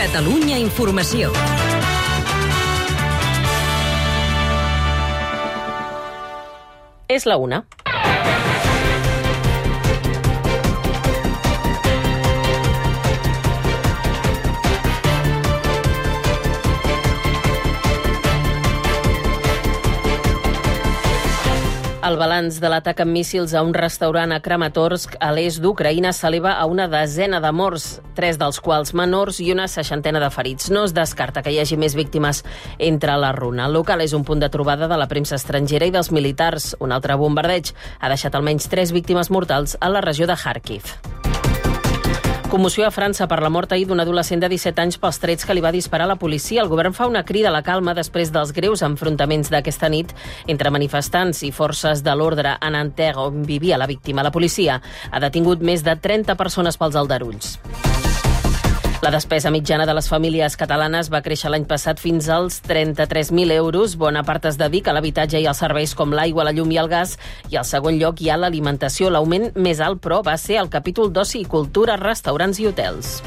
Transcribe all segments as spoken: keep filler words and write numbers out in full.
Catalunya Informació. És la una. El balanç de l'atac amb míssils a un restaurant a Kramatorsk, a l'est d'Ucraïna, s'eleva a una desena de morts, tres dels quals menors i una seixantena de ferits. No es descarta que hi hagi més víctimes entre la runa. El local és un punt de trobada de la premsa estrangera i dels militars. Un altre bombardeig ha deixat almenys tres víctimes mortals a la regió de Kharkiv. Commoció a França per la mort ahir d'un adolescent de disset anys pels trets que li va disparar la policia. El govern fa una crida a la calma després dels greus enfrontaments d'aquesta nit entre manifestants i forces de l'ordre a Nanterre, on vivia la víctima. La policia ha detingut més de trenta persones pels aldarulls. La despesa mitjana de les famílies catalanes va créixer l'any passat fins als trenta-tres mil euros. Bona part es dedica a l'habitatge i als serveis com l'aigua, la llum i el gas. I al segon lloc hi ha l'alimentació. L'augment més alt, però, va ser el capítol d'oci i cultura, restaurants i hotels.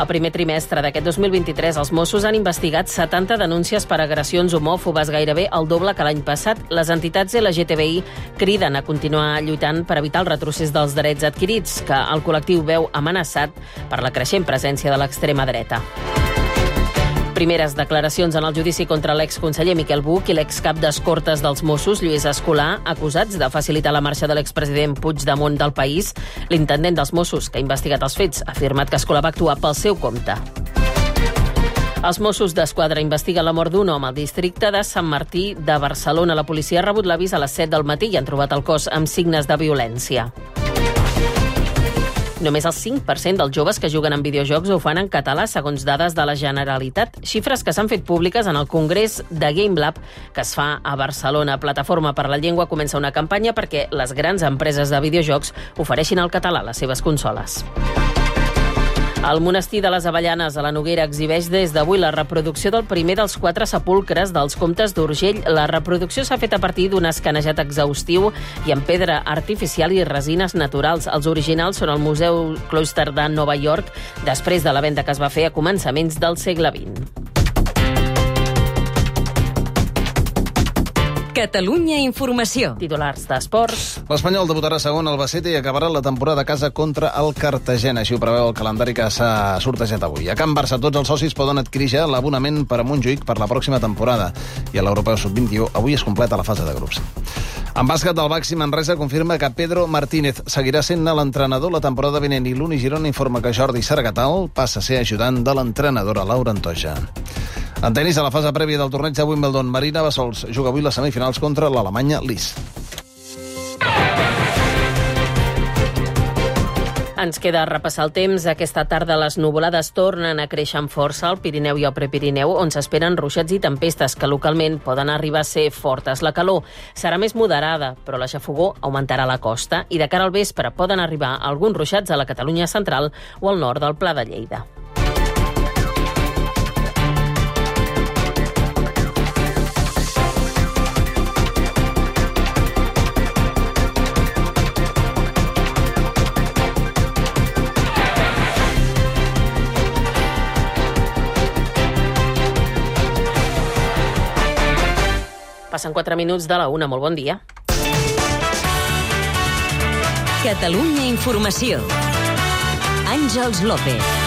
El primer trimestre d'aquest dos mil vint-i-tres, els Mossos han investigat setanta denúncies per agressions homòfobes, gairebé el doble que l'any passat. Les entitats L G T B I criden a continuar lluitant per evitar el retrocés dels drets adquirits, que el col·lectiu veu amenaçat per la creixent presència de l'extrema dreta. Primeres declaracions en el judici contra l'exconseller Miquel Buch i l'excap d'escortes dels Mossos, Lluís Escolà, acusats de facilitar la marxa de l'expresident Puigdemont del país. L'intendent dels Mossos, que ha investigat els fets, ha afirmat que Escolà va actuar pel seu compte. Els Mossos d'Esquadra investiguen la mort d'un home al districte de Sant Martí de Barcelona. La policia ha rebut l'avís a les set del matí i han trobat el cos amb signes de violència. Només el cinc per cent dels joves que juguen en videojocs ho fan en català, segons dades de la Generalitat. Xifres que s'han fet públiques en el Congrés de Game Lab que es fa a Barcelona. Plataforma per la Llengua comença una campanya perquè les grans empreses de videojocs ofereixin el català a les seves consoles. El monestir de les Avellanes a la Noguera exhibeix des d'avui la reproducció del primer dels quatre sepulcres dels comtes d'Urgell. La reproducció s'ha fet a partir d'un escanejat exhaustiu i amb pedra artificial i resines naturals. Els originals són al Museu Cloister de Nova York, després de la venda que es va fer a començaments del segle vint. Catalunya Informació. Titulars d'esports. L'Espanyol debutarà segon al Albacete i acabarà la temporada a casa contra el Cartagena. Així ho preveu el calendari que s'ha sortejat avui. A Can Barça tots els socis poden adquirir ja l'abonament per a Montjuïc per la pròxima temporada. I a l'Europeu sub vint-i-u avui es completa la fase de grups. En bàsquet, el Baxi Manresa confirma que Pedro Martínez seguirà sent l'entrenador la temporada vinent i l'Uni Girona informa que Jordi Sargatal passa a ser ajudant de l'entrenadora Laura Antoja. En tenis, a la fase prèvia del torneig de Wimbledon, Marina Bassols juga avui les semifinals contra l'alemanya Lis. Ens queda repassar el temps. Aquesta tarda les nuvolades tornen a créixer amb força al Pirineu i al Prepirineu, on s'esperen ruixats i tempestes que localment poden arribar a ser fortes. La calor serà més moderada, però la xafogor augmentarà a la costa i de cara al vespre poden arribar alguns ruixats a la Catalunya central o al nord del Pla de Lleida. Passen quatre minuts de la una. Molt bon dia. Catalunya Informació. Àngels López.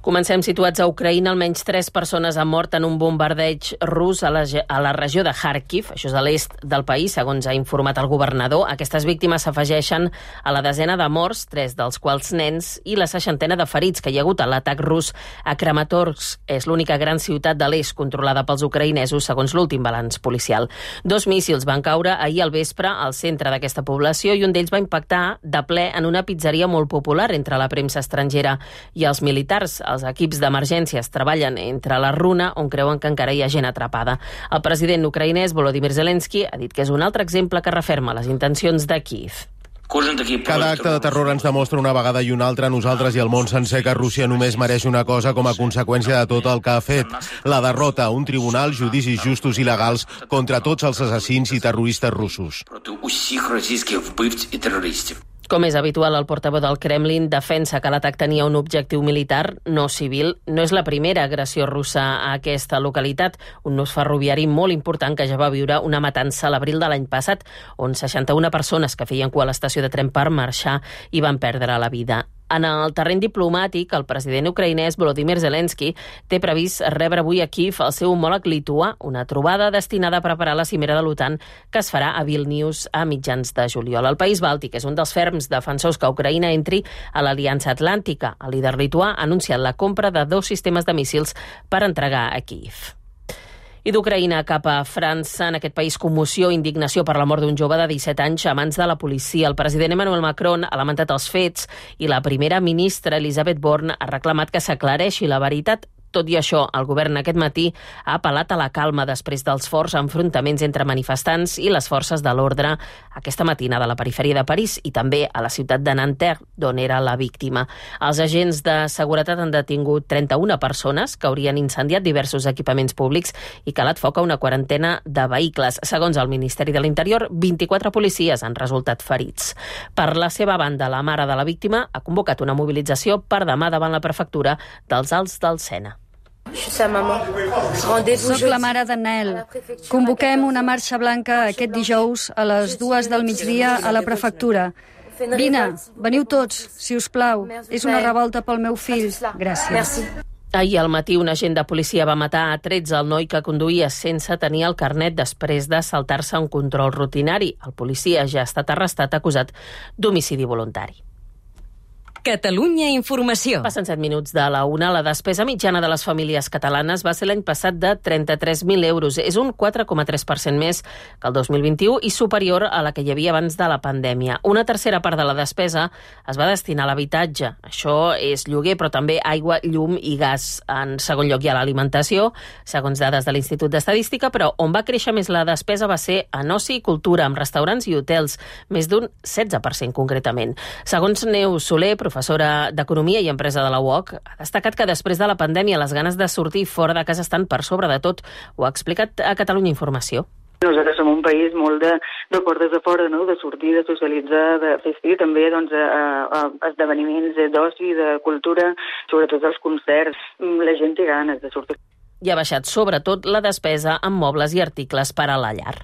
Comencem situats a Ucraïna. Almenys tres persones han mort en un bombardeig rus a la, a la regió de Kharkiv, això és a l'est del país, segons ha informat el governador. Aquestes víctimes s'afegeixen a la desena de morts, tres dels quals nens, i la seixantena de ferits que hi ha hagut a l'atac rus a Kramatorsk. És l'única gran ciutat de l'est controlada pels ucraïnesos, segons l'últim balanç policial. Dos míssils van caure ahir al vespre al centre d'aquesta població i un d'ells va impactar de ple en una pizzeria molt popular entre la premsa estrangera i els militars. Els equips d'emergències treballen entre la runa, on creuen que encara hi ha gent atrapada. El president ucraïnès Volodymyr Zelensky ha dit que és un altre exemple que referma les intencions de Kíev. Cada acte de terror ens demostra una vegada i una altra a nosaltres i al món sencer que Rússia només mereix una cosa com a conseqüència de tot el que ha fet: la derrota, un tribunal, judicis justos i legals contra tots els assassins i terroristes russos. Com és habitual, el portaveu del Kremlin defensa que l'atac tenia un objectiu militar, no civil. No és la primera agressió russa a aquesta localitat, un nus ferroviari molt important que ja va viure una matança a l'abril de l'any passat, on seixanta-una persones que feien cua a l'estació de tren per marxar i van perdre la vida. En el terreny diplomàtic, el president ucraïnès Volodymyr Zelensky té previst rebre avui a Kíev el seu homòleg lituà, una trobada destinada a preparar la cimera de l'OTAN que es farà a Vilnius a mitjans de juliol. El país bàltic és un dels ferms defensors que Ucraïna entri a l'Aliança Atlàntica. El líder lituà ha anunciat la compra de dos sistemes de míssils per entregar a Kíev. I d'Ucraïna cap a França, en aquest país, commoció i indignació per la mort d'un jove de disset anys a mans de la policia. El president Emmanuel Macron ha lamentat els fets i la primera ministra Elisabeth Borne ha reclamat que s'aclareixi la veritat. Tot i això, el govern aquest matí ha apel·lat a la calma després dels forts enfrontaments entre manifestants i les forces de l'ordre aquesta matinada a la perifèria de París i també a la ciutat de Nanterre, d'on era la víctima. Els agents de seguretat han detingut trenta-una persones que haurien incendiat diversos equipaments públics i calat foc a una quarantena de vehicles. Segons el Ministeri de l'Interior, vint-i-quatre policies han resultat ferits. Per la seva banda, la mare de la víctima ha convocat una mobilització per demà davant la prefectura dels Alts del Sena. Soc la mare d'en Nael. Convoquem una marxa blanca aquest dijous a les dues del migdia a la prefectura. Vine, veniu tots, si us plau. És una revolta pel meu fill. Gràcies. Ahir al matí un agent de policia va matar a trets el noi que conduïa sense tenir el carnet després de saltar-se un control rutinari. El policia ja ha estat arrestat acusat d'homicidi voluntari. Catalunya Informació. Passen set minuts de la una. La despesa mitjana de les famílies catalanes va ser l'any passat de trenta-tres mil euros. És un quatre coma tres per cent més que el dos mil vint-i-u i superior a la que hi havia abans de la pandèmia. Una tercera part de la despesa es va destinar a l'habitatge. Això és lloguer, però també aigua, llum i gas. En segon lloc hi ha l'alimentació, segons dades de l'Institut d'Estadística, però on va créixer més la despesa va ser en oci i cultura, amb restaurants i hotels, més d'un setze per cent concretament. Segons Neus Soler, professora d'Economia i Empresa de la U O C, ha destacat que després de la pandèmia les ganes de sortir fora de casa estan per sobre de tot. Ho ha explicat a Catalunya Informació. Nosaltres som un país molt de, de portes de fora, no? De sortir, de socialitzar, de assistir també doncs, a, a esdeveniments d'oci, de cultura, sobretot els concerts. La gent té ganes de sortir. I ha baixat sobretot la despesa en mobles i articles per a la llar.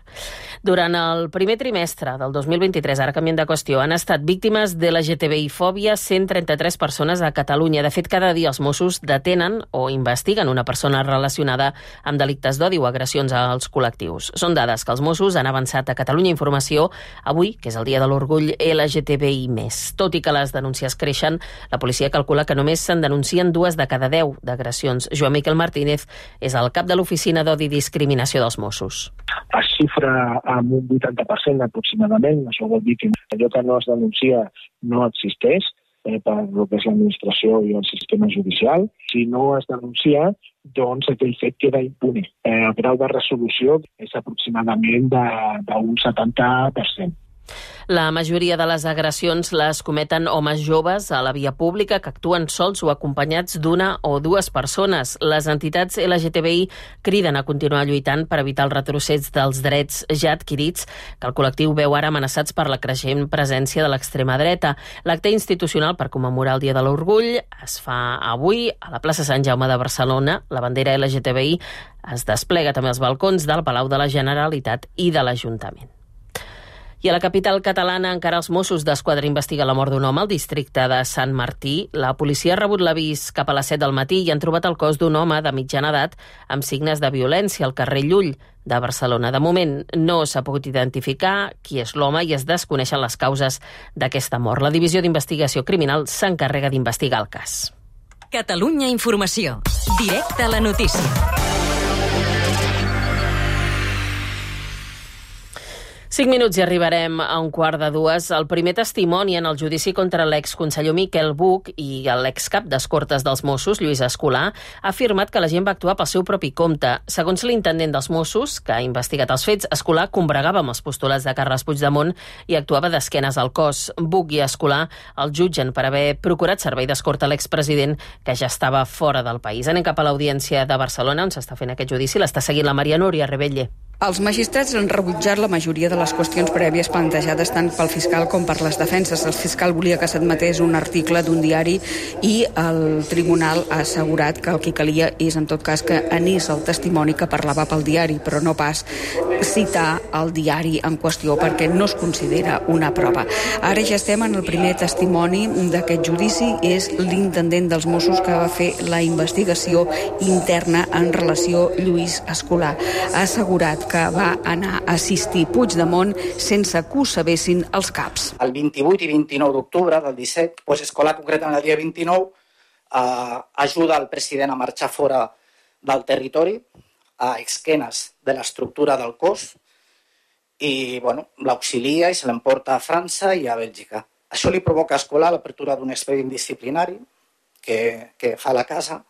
Durant el primer trimestre del dos mil vint-i-tres, ara canviem de qüestió, han estat víctimes de la L G T B I-fòbia cent trenta-tres persones a Catalunya. De fet, cada dia els Mossos detenen o investiguen una persona relacionada amb delictes d'odi o agressions als col·lectius. Són dades que els Mossos han avançat a Catalunya Informació avui, que és el dia de l'orgull L G T B I més. Tot i que les denúncies creixen, la policia calcula que només se'n denuncien dues de cada deu d'agressions. Joan Miquel Martínez és el cap de l'Oficina d'Odi i Discriminació dels Mossos. Es xifra amb un vuitanta per cent aproximadament. Això vol dir que allò que no es denuncia no existeix eh, per el que és l'administració i el sistema judicial. Si no es denuncia, doncs aquell fet queda impune. Eh, el grau de resolució és aproximadament d'un setanta per cent. La majoria de les agressions les cometen homes joves a la via pública que actuen sols o acompanyats d'una o dues persones. Les entitats L G T B I criden a continuar lluitant per evitar el retrocés dels drets ja adquirits que el col·lectiu veu ara amenaçats per la creixent presència de l'extrema dreta. L'acte institucional per commemorar el Dia de l'Orgull es fa avui a la plaça Sant Jaume de Barcelona. La bandera L G T B I es desplega també als balcons del Palau de la Generalitat i de l'Ajuntament. I a la capital catalana encara els Mossos d'Esquadra investiguen la mort d'un home al districte de Sant Martí. La policia ha rebut l'avís cap a les set del matí i han trobat el cos d'un home de mitjana edat amb signes de violència al carrer Llull de Barcelona. De moment no s'ha pogut identificar qui és l'home i es desconeixen les causes d'aquesta mort. La Divisió d'Investigació Criminal s'encarrega d'investigar el cas. Catalunya Informació. Directe a la notícia. Cinc minuts i arribarem a un quart de dues. El primer testimoni en el judici contra l'exconseller Miquel Buch i l'excap d'escortes dels Mossos, Lluís Escolà, ha afirmat que la gent va actuar pel seu propi compte. Segons l'intendent dels Mossos, que ha investigat els fets, Escolà combregava amb els postulats de Carles Puigdemont i actuava d'esquenes al cos. Buch i Escolà el jutgen per haver procurat servei d'escorta a l'expresident, que ja estava fora del país. Anem cap a l'Audiència de Barcelona, on s'està fent aquest judici. L'està seguint la Maria Núria Rebelle. Els magistrats han rebutjat la majoria de les qüestions prèvies plantejades tant pel fiscal com per les defenses. El fiscal volia que s'admetés un article d'un diari i el tribunal ha assegurat que el que calia és, en tot cas, que anés el testimoni que parlava pel diari, però no pas citar el diari en qüestió perquè no es considera una prova. Ara ja estem en el primer testimoni d'aquest judici, és l'intendent dels Mossos que va fer la investigació interna en relació a Lluís Escolà. Ha assegurat que va anar a assistir Puigdemont sense que ho sabessin els caps. El vint-i-vuit i vint-i-nou d'octubre del disset, doncs Escolà, concretament el dia vint-i-nou, eh, ajuda el president a marxar fora del territori, a esquenes de l'estructura del cos, i bueno, l'auxilia i se l'emporta a França i a Bèlgica. Això li provoca a Escolà l'apertura d'un expedient disciplinari que, que fa la casa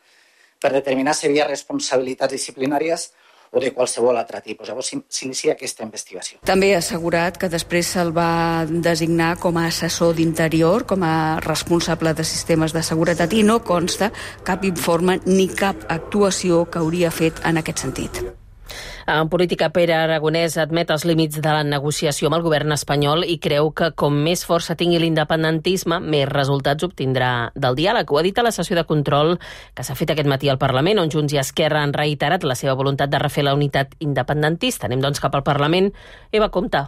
per determinar si hi havia responsabilitats disciplinàries o de qualsevol altre tipus. Llavors s'inicia aquesta investigació. També ha assegurat que després se'l va designar com a assessor d'interior, com a responsable de sistemes de seguretat, i no consta cap informe ni cap actuació que hauria fet en aquest sentit. En política, Pere Aragonès admet els límits de la negociació amb el govern espanyol i creu que com més força tingui l'independentisme, més resultats obtindrà del diàleg. Ho ha dit a la sessió de control que s'ha fet aquest matí al Parlament, on Junts i Esquerra han reiterat la seva voluntat de refer la unitat independentista. Anem doncs cap al Parlament. Eva, compte.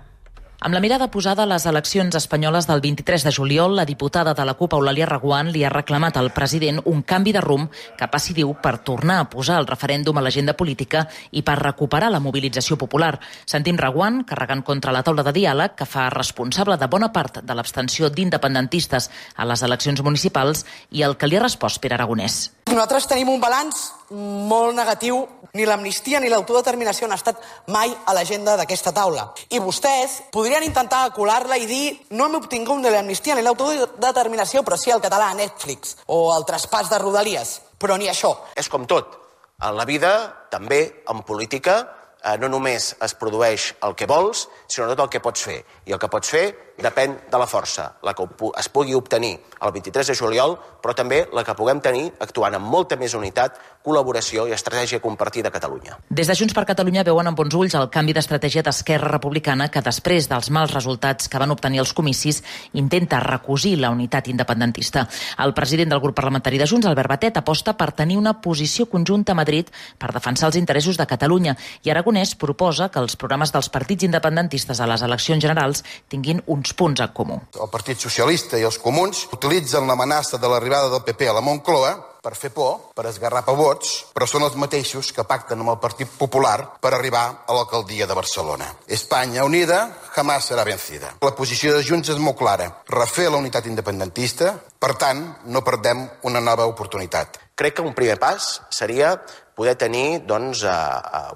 Amb la mirada posada a les eleccions espanyoles del vint-i-tres de juliol, la diputada de la CUP, Eulàlia Reguant, li ha reclamat al president un canvi de rumb que passi, diu, per tornar a posar el referèndum a l'agenda política i per recuperar la mobilització popular. Sentim Reguant carregant contra la taula de diàleg que fa responsable de bona part de l'abstenció d'independentistes a les eleccions municipals i el que li ha respost Pere Aragonès. Nosaltres tenim un balanç molt negatiu. Ni l'amnistia ni l'autodeterminació han estat mai a l'agenda d'aquesta taula. I vostès podrien intentar colar-la i dir no hem obtingut ni l'amnistia ni l'autodeterminació, però sí el català a Netflix o el traspàs de Rodalies. Però ni això. És com tot. En la vida, també en política, eh, no només es produeix el que vols, sinó tot el que pots fer. I el que pots fer depèn de la força, la que es pugui obtenir el vint-i-tres de juliol, però també la que puguem tenir actuant amb molta més unitat, col·laboració i estratègia compartida a Catalunya. Des de Junts per Catalunya veuen amb bons ulls el canvi d'estratègia d'Esquerra Republicana que després dels mals resultats que van obtenir els comicis intenta recosir la unitat independentista. El president del grup parlamentari de Junts, Albert Batet, aposta per tenir una posició conjunta a Madrid per defensar els interessos de Catalunya i Aragonès proposa que els programes dels partits independentistes a les eleccions generals tinguin uns punts en comú. El Partit Socialista i els Comuns utilitzen l'amenaça de l'arribada del P P a la Moncloa per fer por, per esgarrapar vots, però són els mateixos que pacten amb el Partit Popular per arribar a l'alcaldia de Barcelona. Espanya unida jamás serà vencida. La posició de Junts és molt clara. Refer la unitat independentista, per tant, no perdem una nova oportunitat. Crec que un primer pas seria poder tenir doncs,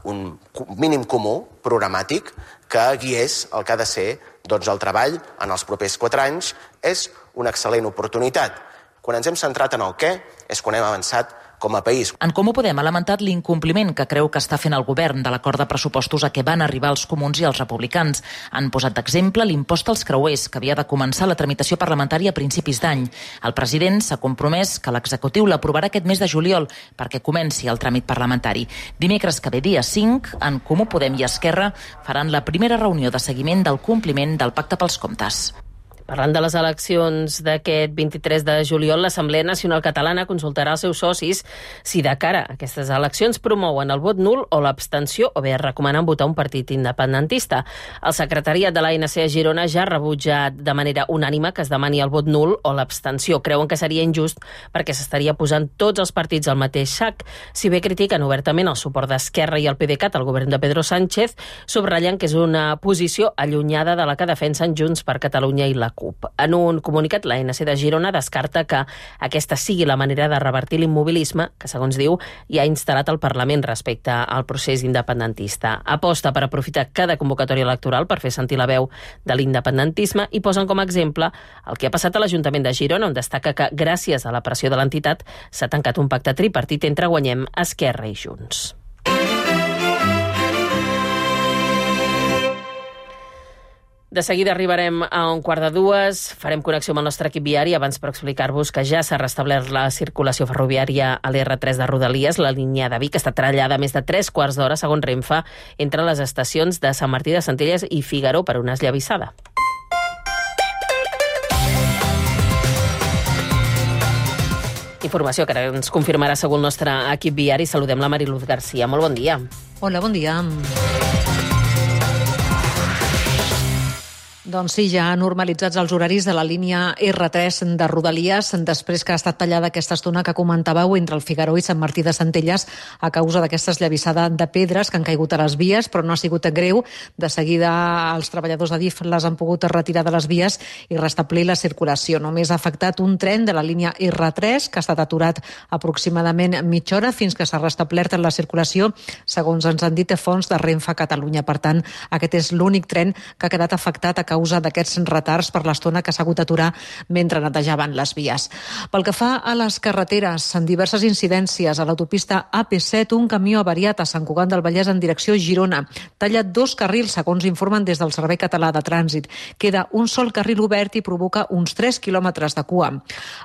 un mínim comú programàtic que guiés el que ha de ser doncs, el treball en els propers quatre anys. És una excel·lent oportunitat. Quan ens hem centrat en el què és quan hem avançat com a país. En Comú Podem ha lamentat l'incompliment que creu que està fent el govern de l'acord de pressupostos a què van arribar els comuns i els republicans. Han posat d'exemple l'impost als creuers, que havia de començar la tramitació parlamentària a principis d'any. El president s'ha compromès que l'executiu l'aprovarà aquest mes de juliol perquè comenci el tràmit parlamentari. Dimecres que ve, dia cinc, en Comú Podem i Esquerra faran la primera reunió de seguiment del compliment del Pacte pels Comptes. Parlant de les eleccions d'aquest vint-i-tres de juliol, l'Assemblea Nacional Catalana consultarà els seus socis si de cara a aquestes eleccions promouen el vot nul o l'abstenció o bé recomanen votar un partit independentista. El secretariat de l'A N C a Girona ja ha rebutjat de manera unànime que es demani el vot nul o l'abstenció. Creuen que seria injust perquè s'estaria posant tots els partits al mateix sac. Si bé critiquen obertament el suport d'Esquerra i el PDeCAT al govern de Pedro Sánchez, subratllen que és una posició allunyada de la que defensen Junts per Catalunya i la CUP. En un comunicat, l'A N C de Girona descarta que aquesta sigui la manera de revertir l'immobilisme que, segons diu, ja ha instal·lat el Parlament respecte al procés independentista. Aposta per aprofitar cada convocatòria electoral per fer sentir la veu de l'independentisme i posen com a exemple el que ha passat a l'Ajuntament de Girona, on destaca que, gràcies a la pressió de l'entitat, s'ha tancat un pacte tripartit entre Guanyem, Esquerra i Junts. De seguida arribarem a un quart de dues, farem connexió amb el nostre equip viari, abans per explicar-vos que ja s'ha restablert la circulació ferroviària a l'R tres de Rodalies. La línia de Vic està trallada més de tres quarts d'hora, segons Renfe, entre les estacions de Sant Martí de Centelles i Figaró per una esllavissada. Informació que ara ens confirmarà segur el nostre equip viari. Saludem la Mariluz Garcia. Molt bon dia. Hola, bon dia. Doncs sí, ja normalitzats els horaris de la línia R tres de Rodalies, després que ha estat tallada aquesta estona que comentàveu entre el Figaró i Sant Martí de Centelles a causa d'aquesta esllavissada de pedres que han caigut a les vies, però no ha sigut greu. De seguida els treballadors de D I F les han pogut retirar de les vies i restablir la circulació. Només ha afectat un tren de la línia R tres que ha estat aturat aproximadament mitja hora fins que s'ha restablert la circulació, segons ens han dit fonts de Renfe Catalunya. Per tant, aquest és l'únic tren que ha quedat afectat a causa causa d'aquests retards per l'estona que s'ha hagut d'aturar mentre netejaven les vies. Pel que fa a les carreteres, en diverses incidències a l'autopista A P set, un camió avariat a Sant Cugat del Vallès en direcció Girona. Talla dos carrils, segons informen des del Servei Català de Trànsit. Queda un sol carril obert i provoca uns tres quilòmetres de cua.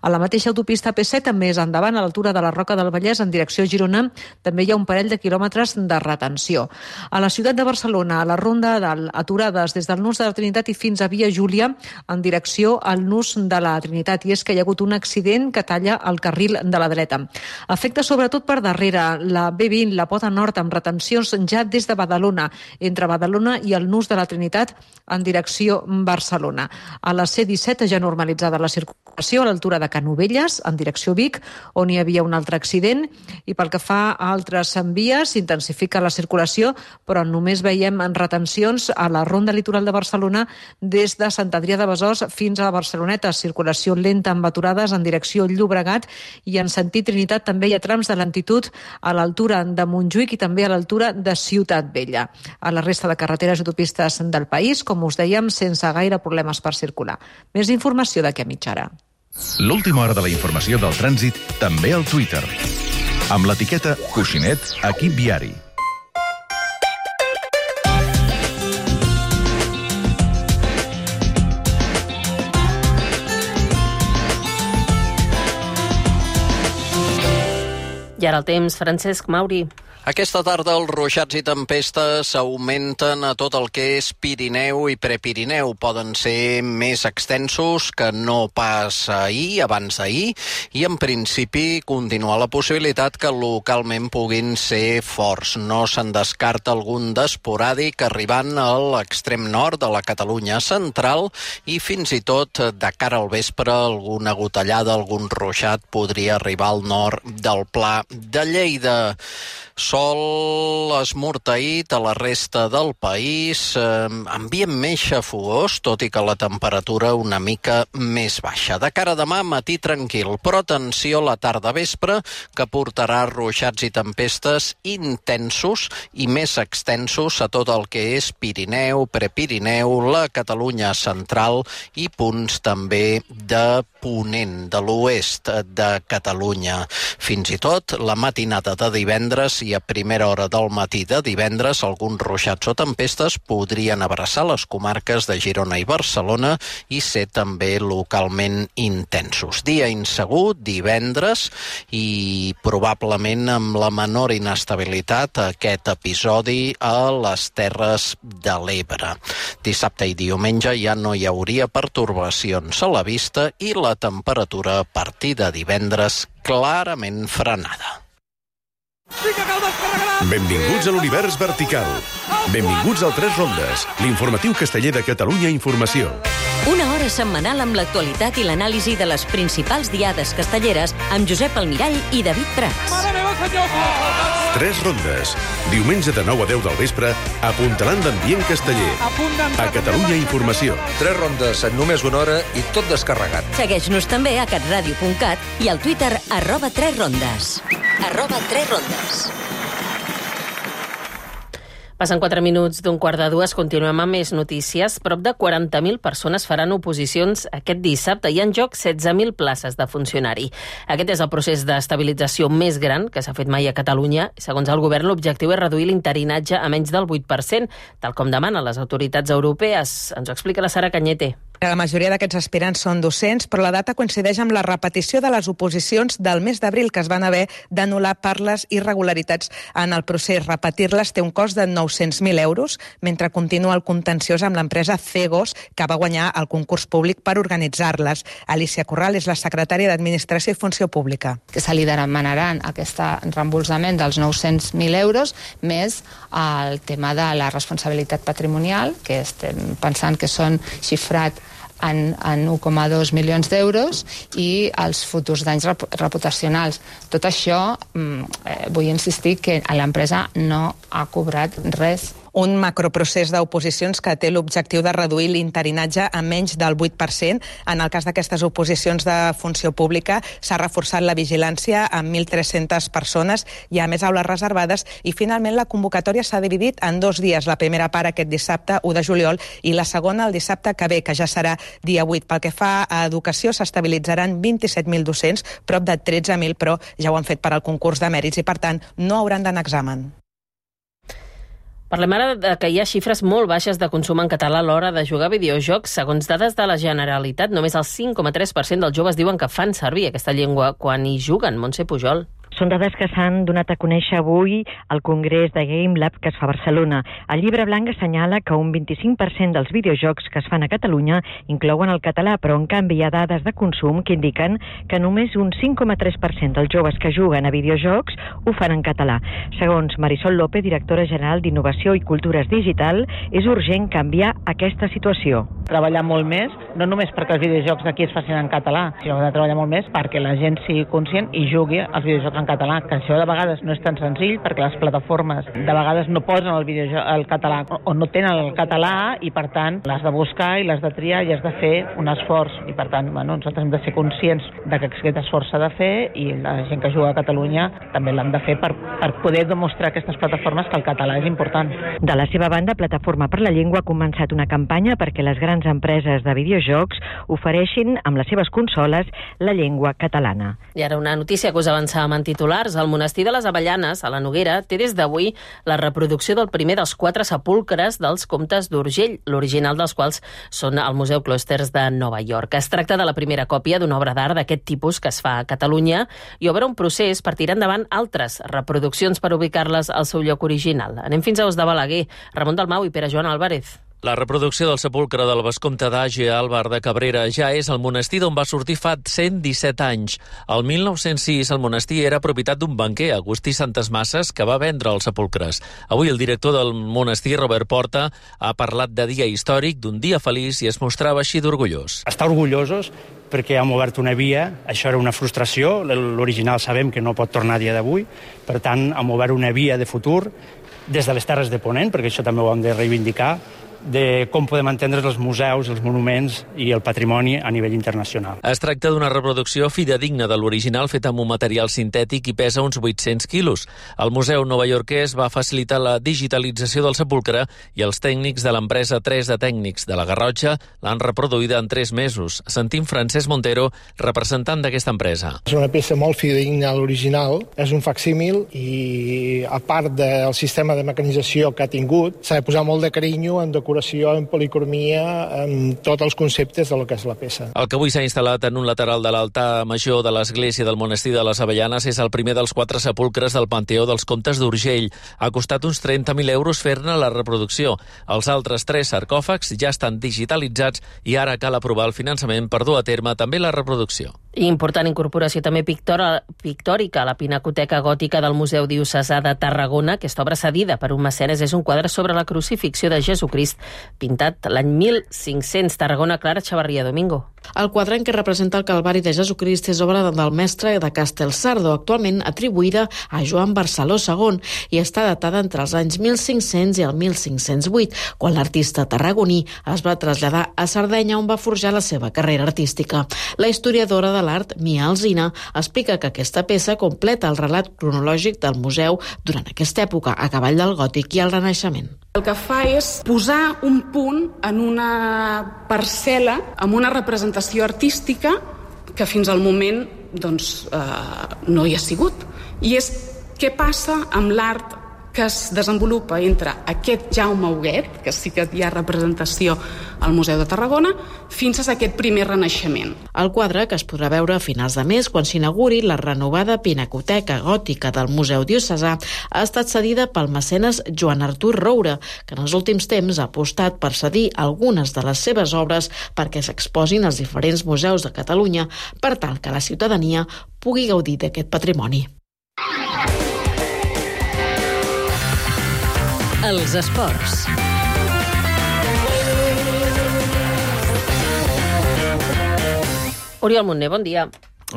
A la mateixa autopista A P set, també és endavant, a l'altura de la Roca del Vallès, en direcció Girona, també hi ha un parell de quilòmetres de retenció. A la ciutat de Barcelona, a la ronda aturades des del Nus de la Trinitat i fins a Via Júlia en direcció al Nus de la Trinitat, i és que hi ha hagut un accident que talla el carril de la dreta. Afecta sobretot per darrere la B vint, la pota nord, amb retencions ja des de Badalona, entre Badalona i el Nus de la Trinitat en direcció Barcelona. A la C disset ja normalitzada la circulació a l'altura de Canovelles en direcció Vic, on hi havia un altre accident, i pel que fa a altres vies s'intensifica la circulació, però només veiem retencions a la ronda litoral de Barcelona des de Sant Adrià de Besòs fins a Barceloneta. Circulació lenta amb aturades en direcció Llobregat, i en sentit Trinitat també hi ha trams de lentitud a l'altura de Montjuïc i també a l'altura de Ciutat Vella. A la resta de carreteres i autopistes del país, com us dèiem, sense gaire problemes per circular. Més informació d'aquí a mitja hora. L'última hora de la informació del trànsit també al Twitter. Amb l'etiqueta Coixinet Equip Viari. I ara el temps, Francesc Mauri. Aquesta tarda els ruixats i tempestes augmenten a tot el que és Pirineu i Prepirineu. Poden ser més extensos que no pas ahir, abans d'ahir, i en principi continua la possibilitat que localment puguin ser forts. No se'n descarta algun d'esporàdic arribant a l'extrem nord de la Catalunya central, i fins i tot de cara al vespre alguna gotellada, algun ruixat podria arribar al nord del Pla de Lleida. Sol esmorteït a la resta del país, eh, ambient més xafogós, tot i que la temperatura una mica més baixa. De cara a demà, matí tranquil, però atenció a la tarda-vespre, que portarà ruixats i tempestes intensos i més extensos a tot el que és Pirineu, Prepirineu, la Catalunya central i punts també de ponent, de l'oest de Catalunya. Fins i tot la matinada de divendres i a primera hora del matí de divendres alguns ruixats o tempestes podrien abraçar les comarques de Girona i Barcelona i ser també localment intensos. Dia insegur, divendres, i probablement amb la menor inestabilitat aquest episodi a les Terres de l'Ebre. Dissabte i diumenge ja no hi hauria pertorbacions a la vista i la temperatura a partir de divendres clarament frenada. Benvinguts a l'univers vertical. Benvinguts al Tres Rondes, l'informatiu casteller de Catalunya Informació. Una hora setmanal amb l'actualitat i l'anàlisi de les principals diades castelleres amb Josep Almirall i David Prats. Tres Rondes, diumenge de nou a deu del vespre, apuntalant d'ambient casteller. A Catalunya Informació. Tres Rondes en només una hora i tot descarregat. Segueix-nos també a catradio punt cat i al Twitter arroba Tres Rondes. Arroba Tres Rondes. Passen quatre minuts d'un quart de dues, continuem amb més notícies. Prop de quaranta mil persones faran oposicions aquest dissabte. Hi ha en joc setze mil places de funcionari. Aquest és el procés d'estabilització més gran que s'ha fet mai a Catalunya. Segons el govern, l'objectiu és reduir l'interinatge a menys del vuit per cent, tal com demanen les autoritats europees. Ens ho explica la Sara Cañete. La majoria d'aquests aspirants són docents, però la data coincideix amb la repetició de les oposicions del mes d'abril que es van haver d'anul·lar per les irregularitats en el procés. Repetir-les té un cost de nou-cents mil euros, mentre continua el contenciós amb l'empresa Cegos, que va guanyar el concurs públic per organitzar-les. Alicia Corral és la secretària d'Administració i Funció Pública. Que se li demanaran aquest reembolsament dels nou-cents mil euros, més el tema de la responsabilitat patrimonial, que estem pensant que són xifrat en, en u coma dos milions d'euros, i els futurs danys reputacionals. Tot això, eh, vull insistir que l'empresa no ha cobrat res. Un macroprocés d'oposicions que té l'objectiu de reduir l'interinatge a menys del vuit per cent. En el cas d'aquestes oposicions de funció pública s'ha reforçat la vigilància amb mil tres-centes persones, hi ha més aules reservades i finalment la convocatòria s'ha dividit en dos dies. La primera part aquest dissabte, u de juliol, i la segona el dissabte que ve, que ja serà dia vuit. Pel que fa a educació, s'estabilitzaran vint-i-set mil docents, prop de tretze mil, però ja ho han fet per al concurs de mèrits i, per tant, no hauran d'anar a examen. Parlem ara de que hi ha xifres molt baixes de consum en català a l'hora de jugar a videojocs. Segons dades de la Generalitat, només el cinc coma tres per cent dels joves diuen que fan servir aquesta llengua quan hi juguen. Montse Pujol. Són dades que s'han donat a conèixer avui al Congrés de Game Lab que es fa a Barcelona. El llibre blanc assenyala que un vint-i-cinc per cent dels videojocs que es fan a Catalunya inclouen el català, però en canvi hi ha dades de consum que indiquen que només un cinc coma tres per cent dels joves que juguen a videojocs ho fan en català. Segons Marisol López, directora general d'Innovació i Cultures Digital, és urgent canviar aquesta situació. Treballar molt més, no només perquè els videojocs d'aquí es facin en català, sinó de treballar molt més perquè la gent sigui conscient i jugui als videojocs en català, que això de vegades no és tan senzill perquè les plataformes de vegades no posen el, videojoc, el català o no tenen el català i per tant l'has de buscar i l'has de triar i has de fer un esforç i per tant bueno, nosaltres hem de ser conscients de que aquest esforç s'ha de fer i la gent que juga a Catalunya també l'hem de fer per, per poder demostrar a aquestes plataformes que el català és important. De la seva banda, Plataforma per la Llengua ha començat una campanya perquè les grans empreses de videojocs ofereixin amb les seves consoles la llengua catalana. I ara una notícia que us avançàvem en titulars. El monestir de les Avellanes, a la Noguera, té des d'avui la reproducció del primer dels quatre sepulcres dels comtes d'Urgell, l'original dels quals són al Museu Closters de Nova York. Es tracta de la primera còpia d'una obra d'art d'aquest tipus que es fa a Catalunya i obre un procés per tirar endavant altres reproduccions per ubicar-les al seu lloc original. Anem fins a Os de Balaguer. Ramon Dalmau i Pere Joan Álvarez. La reproducció del sepulcre del vescomte d'Àger, Àlvar de Cabrera, ja és el monestir d'on va sortir fa cent disset anys. El mil nou-cents sis, el monestir era propietat d'un banquer, Agustí Santes Masses, que va vendre els sepulcres. Avui el director del monestir, Robert Porta, ha parlat de dia històric, d'un dia feliç, i es mostrava així d'orgullós. Estar orgullosos perquè hem obert una via, això era una frustració, l'original sabem que no pot tornar a dia d'avui, per tant hem obert una via de futur des de les Terres de Ponent, perquè això també ho hem de reivindicar, de com podem entendre els museus, els monuments i el patrimoni a nivell internacional. Es tracta d'una reproducció fidedigna de l'original feta amb un material sintètic i pesa uns vuit-cents quilos. El Museu novaiorquès va facilitar la digitalització del sepulcre i els tècnics de l'empresa tres de Tècnics de la Garrotxa l'han reproduïda en tres mesos. Sentim Francesc Montero, representant d'aquesta empresa. És una peça molt fidedigna a l'original, és un facsímil i a part del sistema de mecanització que ha tingut, s'ha de posar molt de carinyo en decoració, en policromia, en tots els conceptes de lo que és la peça. El que avui s'ha instal·lat en un lateral de l'altar major de l'església del monestir de les Avellanes és el primer dels quatre sepulcres del Panteó dels Comtes d'Urgell. Ha costat uns trenta mil euros fer-ne la reproducció. Els altres tres sarcòfags ja estan digitalitzats i ara cal aprovar el finançament per dur a terme també la reproducció. Important incorporació també pictora, pictòrica a la Pinacoteca Gòtica del Museu Diocesà de Tarragona. Aquesta obra cedida per un mecenes és un quadre sobre la crucifixió de Jesucrist pintat l'any mil cinc-cents. Tarragona, Clara Xavarria Domingo. El quadre en què representa el Calvari de Jesucrist és obra del mestre de Castelsardo, actualment atribuïda a Joan Barceló segon, i està datada entre els anys mil cinc-cents i el mil cinc-cents vuit, quan l'artista tarragoní es va traslladar a Sardenya, on va forjar la seva carrera artística. La historiadora de l'art, Mia Alsina, explica que aquesta peça completa el relat cronològic del museu durant aquesta època, a cavall del gòtic i el Renaixement. El que fa és posar un punt en una parcel·la amb una representació artística que fins al moment doncs, eh, no hi ha sigut. I és què passa amb l'art que es desenvolupa entre aquest Jaume Huguet, que sí que hi ha representació al Museu de Tarragona, fins a aquest primer Renaixement. El quadre, que es podrà veure a finals de mes quan s'inauguri la renovada Pinacoteca Gòtica del Museu Diocesà, ha estat cedida pel mecenes Joan Artur Roure, que en els últims temps ha apostat per cedir algunes de les seves obres perquè s'exposin als diferents museus de Catalunya per tal que la ciutadania pugui gaudir d'aquest patrimoni. Els esports. Oriol Montner, bon dia.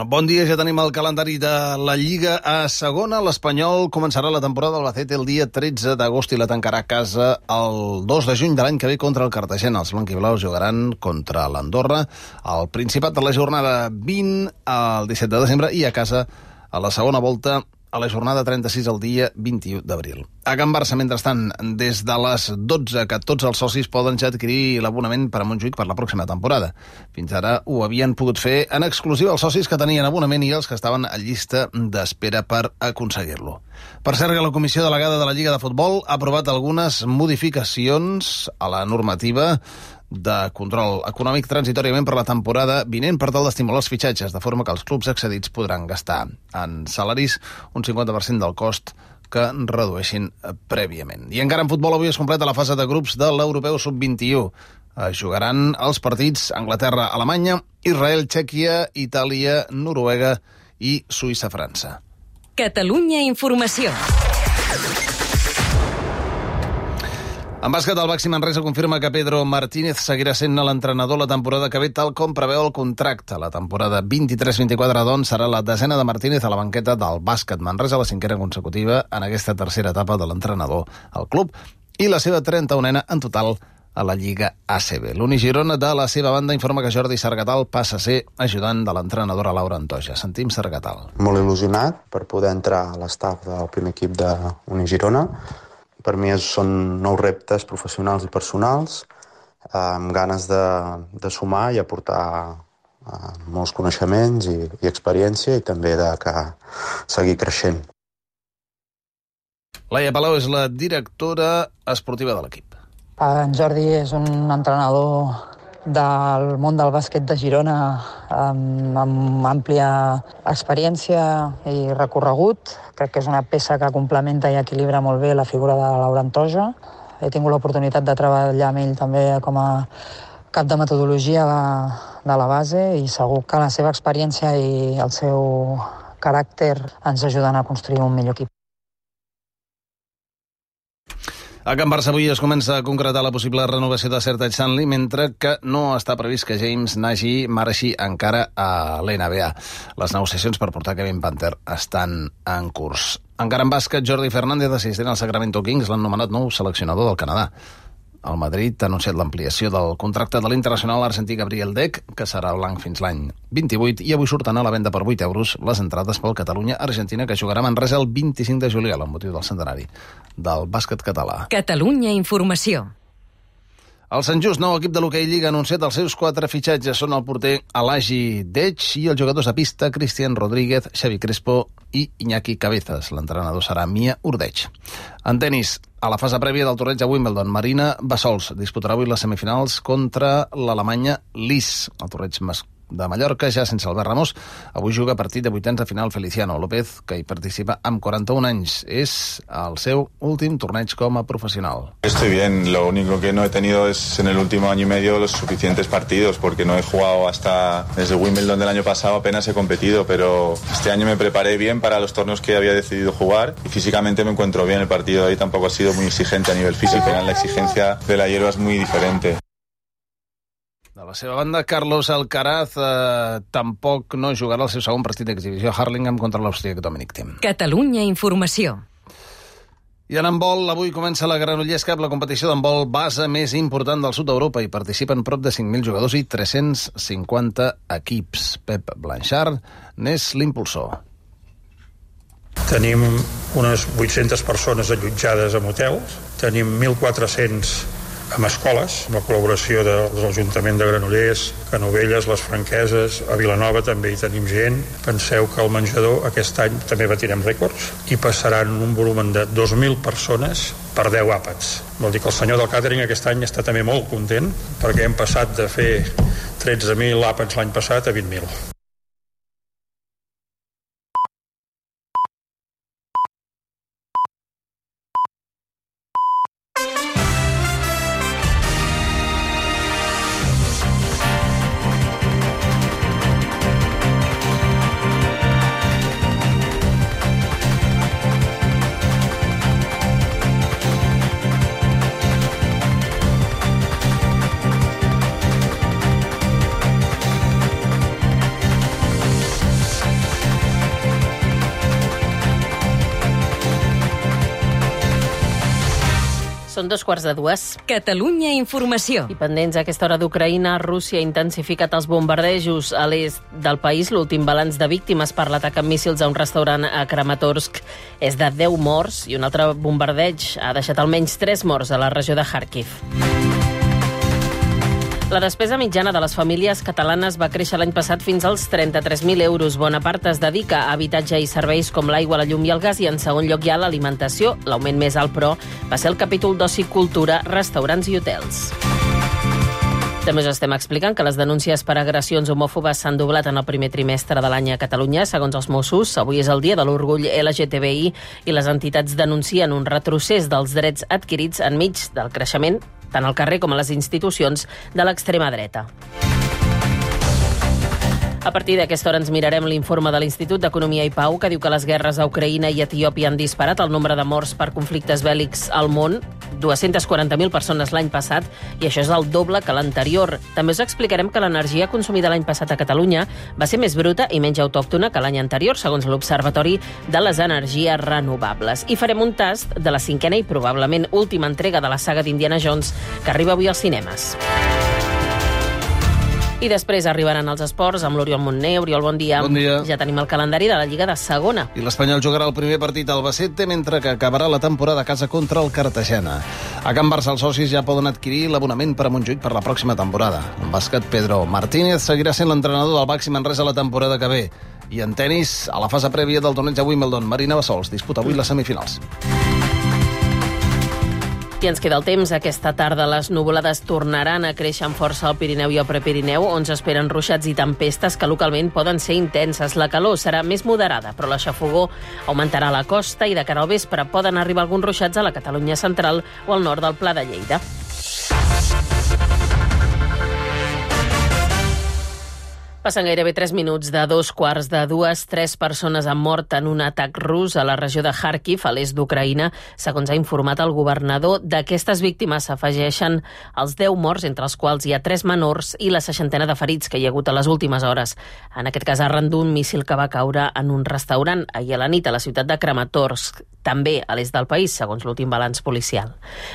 Bon dia, ja tenim el calendari de la Lliga a segona. L'Espanyol començarà la temporada al Albacete el dia tretze d'agost i la tancarà a casa el dos de juny de l'any que ve contra el Cartagena. Els blanquiblaus jugaran contra l'Andorra al Principat de la jornada vint al disset de desembre i a casa a la segona volta a la jornada trenta-sis el dia vint-i-u d'abril. A Can Barça, mentrestant, des de les dotze que tots els socis poden ja adquirir l'abonament per a Montjuïc per la pròxima temporada. Fins ara ho havien pogut fer en exclusiva els socis que tenien abonament i els que estaven a llista d'espera per aconseguir-lo. Per cert, que la Comissió Delegada de la Lliga de Futbol ha aprovat algunes modificacions a la normativa de control econòmic transitoriament per la temporada vinent per tal d'estimular els fitxatges, de forma que els clubs accedits podran gastar en salaris un cinquanta per cent del cost que redueixin prèviament. I encara en futbol avui es completa la fase de grups de l'Europeu sub vint-i-u. Es jugaran els partits Anglaterra-Alemanya, Israel, Txèquia, Itàlia, Noruega i Suïssa-França. Catalunya Informació. En bàsquet, el Baxi Manresa confirma que Pedro Martínez seguirà sent l'entrenador la temporada que ve, tal com preveu el contracte. La temporada vint-i-tres vint-i-quatre, doncs, serà la desena de Martínez a la banqueta del Bàsquet Manresa, la cinquena consecutiva en aquesta tercera etapa de l'entrenador al club i la seva trenta-unena en total a la Lliga A C B. L'Uni Girona, de la seva banda, informa que Jordi Sargatal passa a ser ajudant de l'entrenadora Laura Antoja. Sentim Sargatal. Molt il·lusionat per poder entrar a l'estaf del primer equip d'Uni Girona. Per mi són nous reptes professionals i personals, amb ganes de, de sumar i aportar eh, molts coneixements i, i experiència i també de que seguir creixent. Laia Palau és la directora esportiva de l'equip. En Jordi és un entrenador del món del bàsquet de Girona amb, amb àmplia experiència i recorregut. Crec que és una peça que complementa i equilibra molt bé la figura de Laura Antoja. He tingut l'oportunitat de treballar amb ell també com a cap de metodologia de, de la base i segur que la seva experiència i el seu caràcter ens ajuden a construir un millor equip. A Can Barça avui es comença a concretar la possible renovació de Sertaj Stanley, mentre que no està previst que James Nagy marxi encara a l'N B A. Les negociacions per portar Kevin Panther estan en curs. Encara en bàsquet, Jordi Fernández, assistent al Sacramento Kings, l'han nomenat nou seleccionador del Canadà. El Madrid ha anunciat l'ampliació del contracte de l'internacional argentí Gabriel Deck, que serà blanc fins l'any vint-i-vuit, i avui surten a la venda per vuit euros les entrades pel Catalunya-Argentina, que jugarà a Manresa el vint-i-cinc de juliol, amb motiu del centenari del bàsquet català. Catalunya Informació. El Sant Just, nou equip de l'hoquei Lliga, ha anunciat els seus quatre fitxatges. Són el porter Alagi Dech i els jugadors de pista Cristian Rodríguez, Xavi Crespo i Iñaki Cabezas. L'entrenador serà Mia Urdeig. En tenis, a la fase prèvia del torneig a Wimbledon, Marina Bassols disputarà avui les semifinals contra l'Alemanya Lis. El torneig masculí de Mallorca, ja sense Albert Ramos. Avui juga partit de vuitens de final Feliciano López, que hi participa amb quaranta-un anys. És el seu últim torneig com a professional. Estoy bien, lo único que no he tenido es en el último año y medio los suficientes partidos, porque no he jugado hasta desde Wimbledon del año pasado, apenas he competido, pero este año me preparé bien para los torneos que había decidido jugar y físicamente me encuentro bien. El partido de hoy tampoco ha sido muy exigente a nivel físico, la exigencia de la hierba es muy diferente. De la seva banda, Carlos Alcaraz eh, tampoc no jugarà el seu segon partit d'exhibició a Hurlingham contra l'Austríac Dominic Thiem. Catalunya Informació. I en handbol, avui comença la Granollers Cup, la competició d'handbol base més important del sud d'Europa. Hi participen prop de cinc mil jugadors i tres-cents cinquanta equips. Pep Blanchard n'és l'impulsor. Tenim unes vuit-centes persones allotjades en hotels, tenim mil quatre-cents amb escoles, amb la col·laboració de, de l'Ajuntament de Granollers, Canovelles, les Franqueses, a Vilanova també hi tenim gent. Penseu que el menjador aquest any també batirem rècords i passaran un volum de dos mil persones per deu àpats. Vol dir que el senyor del càtering aquest any està també molt content perquè hem passat de fer tretze mil àpats l'any passat a vint mil. Són dos quarts de dues. Catalunya Informació. I pendents a aquesta hora d'Ucraïna, Rússia ha intensificat els bombardejos a l'est del país. L'últim balanç de víctimes per l'atac amb míssils a un restaurant a Kramatorsk és de deu morts i un altre bombardeig ha deixat almenys tres morts a la regió de Kharkiv. La despesa mitjana de les famílies catalanes va créixer l'any passat fins als trenta-tres mil euros. Bona part es dedica a habitatge i serveis com l'aigua, la llum i el gas, i en segon lloc hi ha l'alimentació. L'augment més alt, però, va ser el capítol d'oci, cultura, restaurants i hotels. També us estem explicant que les denúncies per agressions homòfobes s'han doblat en el primer trimestre de l'any a Catalunya. Segons els Mossos, avui és el dia de l'orgull L G T B I i les entitats denuncien un retrocés dels drets adquirits enmig del creixement tant al carrer com a les institucions de l'extrema dreta. A partir d'aquesta hora ens mirarem l'informe de l'Institut d'Economia i Pau, que diu que les guerres a Ucraïna i Etiòpia han disparat el nombre de morts per conflictes bèl·lics al món, dues-centes quaranta mil persones l'any passat, i això és el doble que l'anterior. També us explicarem que l'energia consumida l'any passat a Catalunya va ser més bruta i menys autòctona que l'any anterior, segons l'Observatori de les Energies Renovables. I farem un tast de la cinquena i probablement última entrega de la saga d'Indiana Jones, que arriba avui als cinemes. I després arribaran els esports amb l'Oriol Montner. Oriol, bon dia. Bon dia. Ja tenim el calendari de la Lliga de Segona. I l'Espanyol jugarà el primer partit al Albacete, mentre que acabarà la temporada a casa contra el Cartagena. A Can Barça els socis ja poden adquirir l'abonament per a Montjuïc per la pròxima temporada. En bàsquet, Pedro Martínez seguirà sent l'entrenador del Baxi Manresa la temporada que ve. I en tenis, a la fase prèvia del torneig a Wimbledon, Marina Bassols disputa avui les semifinals. I ens queda el temps. Aquesta tarda les nuvolades tornaran a créixer amb força al Pirineu i al Prepirineu, on s'esperen ruixats i tempestes que localment poden ser intenses. La calor serà més moderada, però la xafogor augmentarà a la costa i de cara al vespre poden arribar alguns ruixats a la Catalunya central o al nord del Pla de Lleida. Passen gairebé tres minuts de dos quarts de dues. Tres persones han mort en un atac rus a la regió de Kharkiv, a l'est d'Ucraïna, segons ha informat el governador. D'aquestes víctimes s'afegeixen els deu morts, entre els quals hi ha tres menors, i la seixantena de ferits que hi ha hagut a les últimes hores. En aquest cas, arran d'un míssil que va caure en un restaurant ahir a la nit a la ciutat de Kramatorsk, també a l'est del país, segons l'últim balanç policial.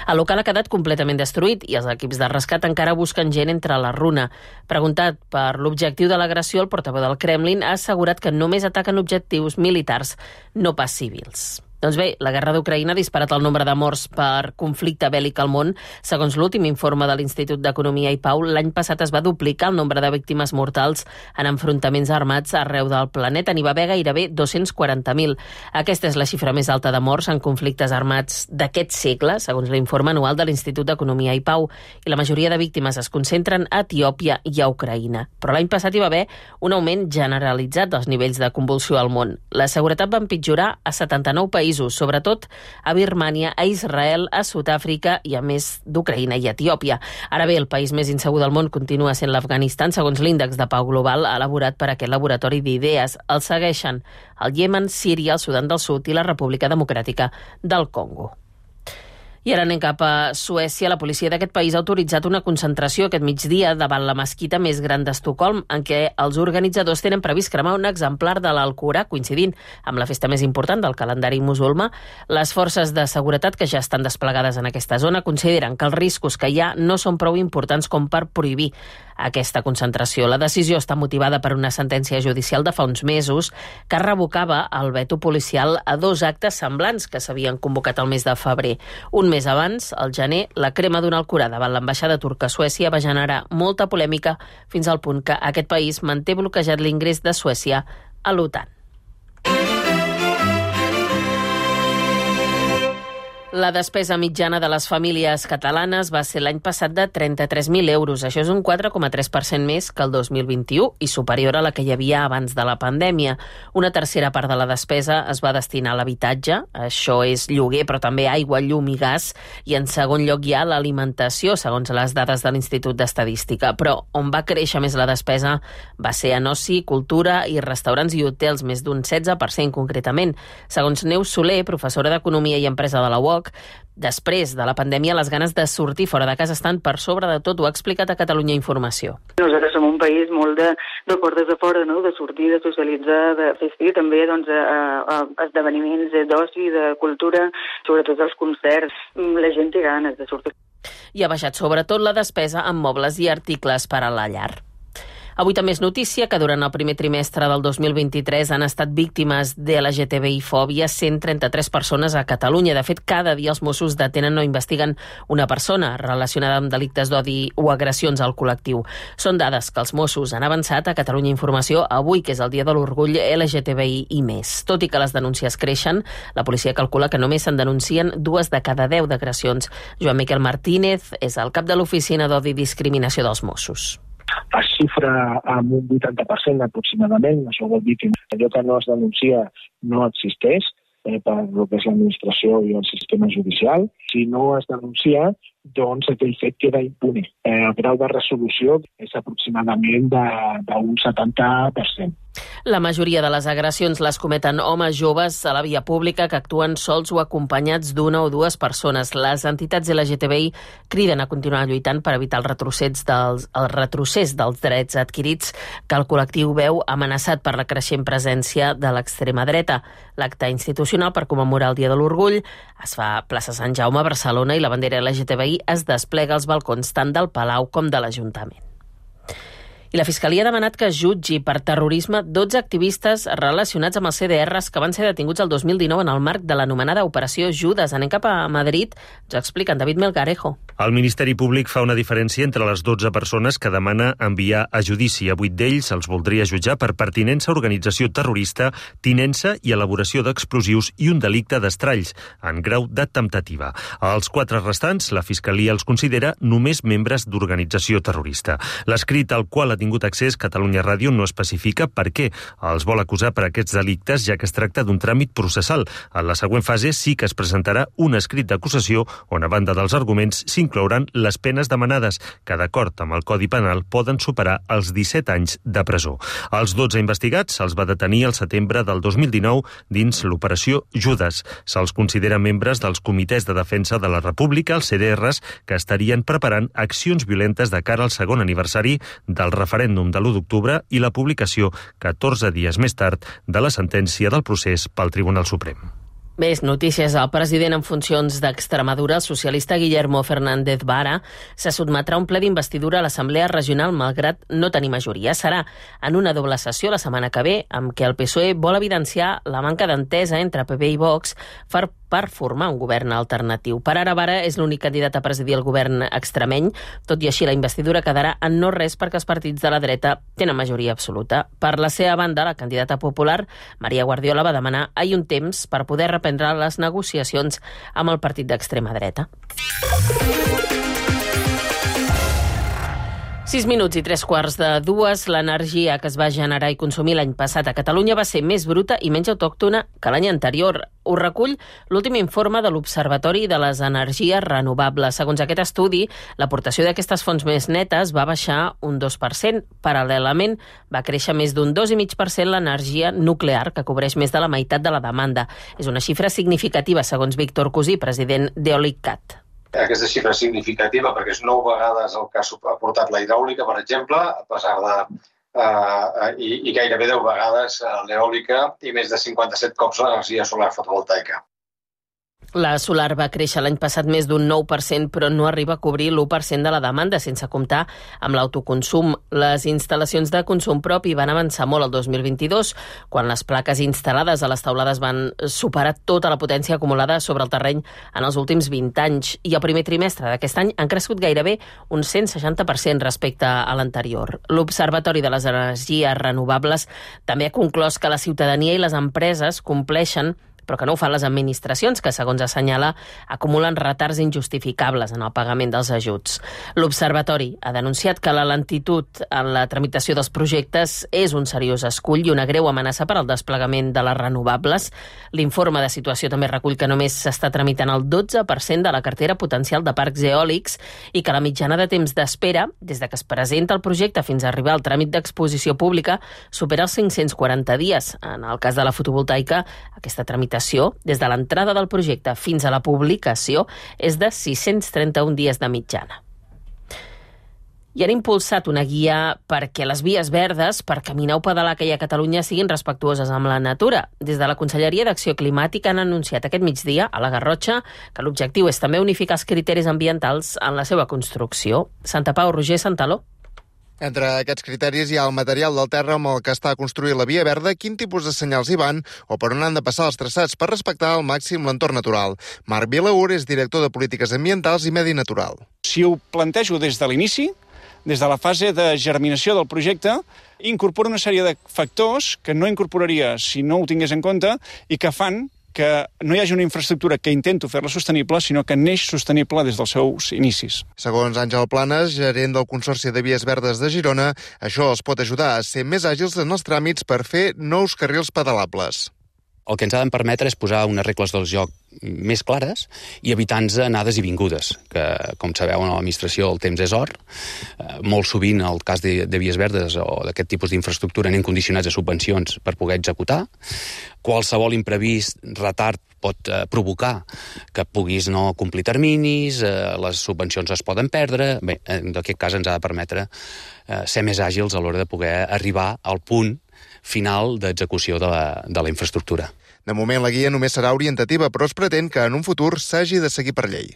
El local ha quedat completament destruït i els equips de rescat encara busquen gent entre la runa. Preguntat per l'objectiu de l'agressió, el portaveu del Kremlin ha assegurat que només ataquen objectius militars, no pas civils. Doncs bé, la guerra d'Ucraïna ha disparat el nombre de morts per conflicte bèl·lic al món. Segons l'últim informe de l'Institut d'Economia i Pau, l'any passat es va duplicar el nombre de víctimes mortals en enfrontaments armats arreu del planeta. N'hi va haver gairebé dos-cents quaranta mil. Aquesta és la xifra més alta de morts en conflictes armats d'aquest segle, segons l'informe anual de l'Institut d'Economia i Pau. I la majoria de víctimes es concentren a Etiòpia i a Ucraïna. Però l'any passat hi va haver un augment generalitzat dels nivells de convulsió al món. La seguretat va empitjorar a setanta-nou països, sobretot a Birmània, a Israel, a Sud-àfrica i a més d'Ucraïna i Etiòpia. Ara bé, el país més insegur del món continua sent l'Afganistan, segons l'índex de pau global elaborat per aquest laboratori d'idees. El segueixen el Iemen, Síria, el Sudan del Sud i la República Democràtica del Congo. I ara anem cap a Suècia. La policia d'aquest país ha autoritzat una concentració aquest migdia davant la mesquita més gran d'Estocolm, en què els organitzadors tenen previst cremar un exemplar de l'Alcorà, coincidint amb la festa més important del calendari musulmà. Les forces de seguretat que ja estan desplegades en aquesta zona consideren que els riscos que hi ha no són prou importants com per prohibir aquesta concentració. La decisió està motivada per una sentència judicial de fa uns mesos que revocava el veto policial a dos actes semblants que s'havien convocat el mes de febrer. Un mes abans, al gener, la crema d'un Alcorà davant l'ambaixada turca a Suècia va generar molta polèmica fins al punt que aquest país manté bloquejat l'ingrés de Suècia a l'OTAN. La despesa mitjana de les famílies catalanes va ser l'any passat de trenta-tres mil euros. Això és un quatre coma tres per cent més que el dos mil vint-i-u i superior a la que hi havia abans de la pandèmia. Una tercera part de la despesa es va destinar a l'habitatge, això és lloguer, però també aigua, llum i gas, i en segon lloc hi ha l'alimentació, segons les dades de l'Institut d'Estadística. Però on va créixer més la despesa va ser en oci, cultura i restaurants i hotels, més d'un setze per cent concretament. Segons Neus Soler, professora d'Economia i Empresa de la U O C, després de la pandèmia, les ganes de sortir fora de casa estan per sobre de tot. Ho ha explicat a Catalunya Informació. Nosaltres som un país molt de, de portes de fora, no? De sortir, de socialitzar, de assistir també doncs, a, a esdeveniments d'oci, de cultura, sobretot els concerts. La gent té ganes de sortir. I ha baixat sobretot la despesa en mobles i articles per a la llar. Avui també és notícia que durant el primer trimestre del dos mil vint-i-tres han estat víctimes de L G T B I-fòbia cent trenta-tres persones a Catalunya. De fet, cada dia els Mossos detenen o investiguen una persona relacionada amb delictes d'odi o agressions al col·lectiu. Són dades que els Mossos han avançat a Catalunya Informació avui, que és el dia de l'orgull L G T B I i més. Tot i que les denúncies creixen, la policia calcula que només se'n denuncien dues de cada deu d'agressions. Joan Miquel Martínez és el cap de l'Oficina d'Odi i Discriminació dels Mossos. Es xifra amb un vuitanta per cent aproximadament. Això vol dir que allò que no es denuncia no existeix eh, per el que és l'administració i el sistema judicial. Si no es denuncia, doncs aquell fet queda impune. Eh, el grau de resolució és aproximadament d'un setanta per cent. La majoria de les agressions les cometen homes joves a la via pública que actuen sols o acompanyats d'una o dues persones. Les entitats L G T B I criden a continuar lluitant per evitar el retrocés dels, el retrocés dels drets adquirits que el col·lectiu veu amenaçat per la creixent presència de l'extrema dreta. L'acte institucional per commemorar el Dia de l'Orgull es fa a plaça Sant Jaume, a Barcelona, i la bandera L G T B I es desplega als balcons tant del Palau com de l'Ajuntament. I la Fiscalia ha demanat que es jutgi per terrorisme dotze activistes relacionats amb els C D Rs que van ser detinguts el dos mil dinou en el marc de l'anomenada Operació Judes. Anem cap a Madrid, ens ho explica en David Melgarejo. El Ministeri Públic fa una diferència entre les dotze persones que demana enviar a judici. A vuit d'ells els voldria jutjar per pertinença a organització terrorista, tinença i elaboració d'explosius i un delicte d'estralls, en grau de temptativa. Els quatre restants, la Fiscalia els considera només membres d'organització terrorista. L'escrit al qual ha tingut accés Catalunya Ràdio no especifica per què els vol acusar per aquests delictes, ja que es tracta d'un tràmit processal. En la següent fase sí que es presentarà un escrit d'acusació on, a banda dels arguments, s'inclouran les penes demanades, que d'acord amb el Codi Penal poden superar els disset anys de presó. Els dotze investigats se'ls va detenir al setembre del dos mil dinou dins l'Operació Judes. Se'ls considera membres dels comitès de defensa de la República, els C D Rs, que estarien preparant accions violentes de cara al segon aniversari del referèndum de l'u d'octubre i la publicació, catorze dies més tard, de la sentència del procés pel Tribunal Suprem. Més notícies. El president en funcions d'Extremadura, el socialista Guillermo Fernández Vara, se sotmetrà a un ple d'investidura a l'Assemblea Regional malgrat no tenir majoria. Serà en una doble sessió la setmana que ve, amb què el P S O E vol evidenciar la manca d'entesa entre P P i Vox per, per formar un govern alternatiu. Per ara, Vara és l'únic candidat a presidir el govern extremeny. Tot i així, la investidura quedarà en no res perquè els partits de la dreta tenen majoria absoluta. Per la seva banda, la candidata popular, Maria Guardiola, va demanar ahir un temps per poder reprendre les negociacions amb el partit d'extrema dreta. Sis minuts i tres quarts de dues. L'energia que es va generar i consumir l'any passat a Catalunya va ser més bruta i menys autòctona que l'any anterior. Ho recull l'últim informe de l'Observatori de les Energies Renovables. Segons aquest estudi, l'aportació d'aquestes fonts més netes va baixar un dos per cent. Paral·lelament, va créixer més d'un dos coma cinc per cent l'energia nuclear, que cobreix més de la meitat de la demanda. És una xifra significativa, segons Víctor Cosí, president d'Eolicat. Aquesta xifra és significativa perquè és nou vegades el que ha aportat la hidràulica, per exemple, a pesar de... Uh, i, i gairebé deu vegades l'eòlica i més de cinquanta-set cops l'energia solar fotovoltaica. La solar va créixer l'any passat més d'un nou per cent, però no arriba a cobrir l'u per cent de la demanda, sense comptar amb l'autoconsum. Les instal·lacions de consum propi van avançar molt el dos mil vint-i-dos, quan les plaques instal·lades a les teulades van superar tota la potència acumulada sobre el terreny en els últims vint anys. I el primer trimestre d'aquest any han crescut gairebé un cent seixanta per cent respecte a l'anterior. L'Observatori de les Energies Renovables també ha conclòs que la ciutadania i les empreses compleixen, però que no ho fan les administracions, que, segons assenyala, acumulen retards injustificables en el pagament dels ajuts. L'Observatori ha denunciat que la lentitud en la tramitació dels projectes és un seriós escull i una greu amenaça per al desplegament de les renovables. L'informe de situació també recull que només s'està tramitant el dotze per cent de la cartera potencial de parcs eòlics i que la mitjana de temps d'espera, des de que es presenta el projecte fins a arribar al tràmit d'exposició pública, supera els cinc-cents quaranta dies. En el cas de la fotovoltaica, aquesta tramitació des de l'entrada del projecte fins a la publicació és de sis-cents trenta-un dies de mitjana. I han impulsat una guia perquè les vies verdes per caminar o pedalar que hi ha a Catalunya siguin respectuoses amb la natura. Des de la Conselleria d'Acció Climàtica han anunciat aquest migdia a la Garrotxa que l'objectiu és també unificar els criteris ambientals en la seva construcció. Santa Pau, Roger Santaló. Entre aquests criteris hi ha el material del terra amb el que està construït la via verda, quin tipus de senyals hi van o per on han de passar els traçats per respectar al màxim l'entorn natural. Marc Vilaur és director de Polítiques Ambientals i Medi Natural. Si ho plantejo des de l'inici, des de la fase de germinació del projecte, incorpora una sèrie de factors que no incorporaria si no ho tingués en compte i que fan que no hi hagi una infraestructura que intento fer-la sostenible, sinó que neix sostenible des dels seus inicis. Segons Àngel Planes, gerent del Consorci de Vies Verdes de Girona, això els pot ajudar a ser més àgils en els tràmits per fer nous carrils pedalables. El que ens ha de permetre és posar unes regles del joc més clares i evitar-nos anades i vingudes, que, com sabeu, en l'administració el temps és or. Molt sovint, el cas de, de vies verdes o d'aquest tipus d'infraestructura anem condicionats a subvencions per poder executar. Qualsevol imprevist, retard, pot eh, provocar que puguis no complir terminis, eh, les subvencions es poden perdre. Bé, en aquest cas ens ha de permetre eh, ser més àgils a l'hora de poder arribar al punt final d'execució de la, de la infraestructura. De moment, la guia només serà orientativa, però es pretén que en un futur s'hagi de seguir per llei.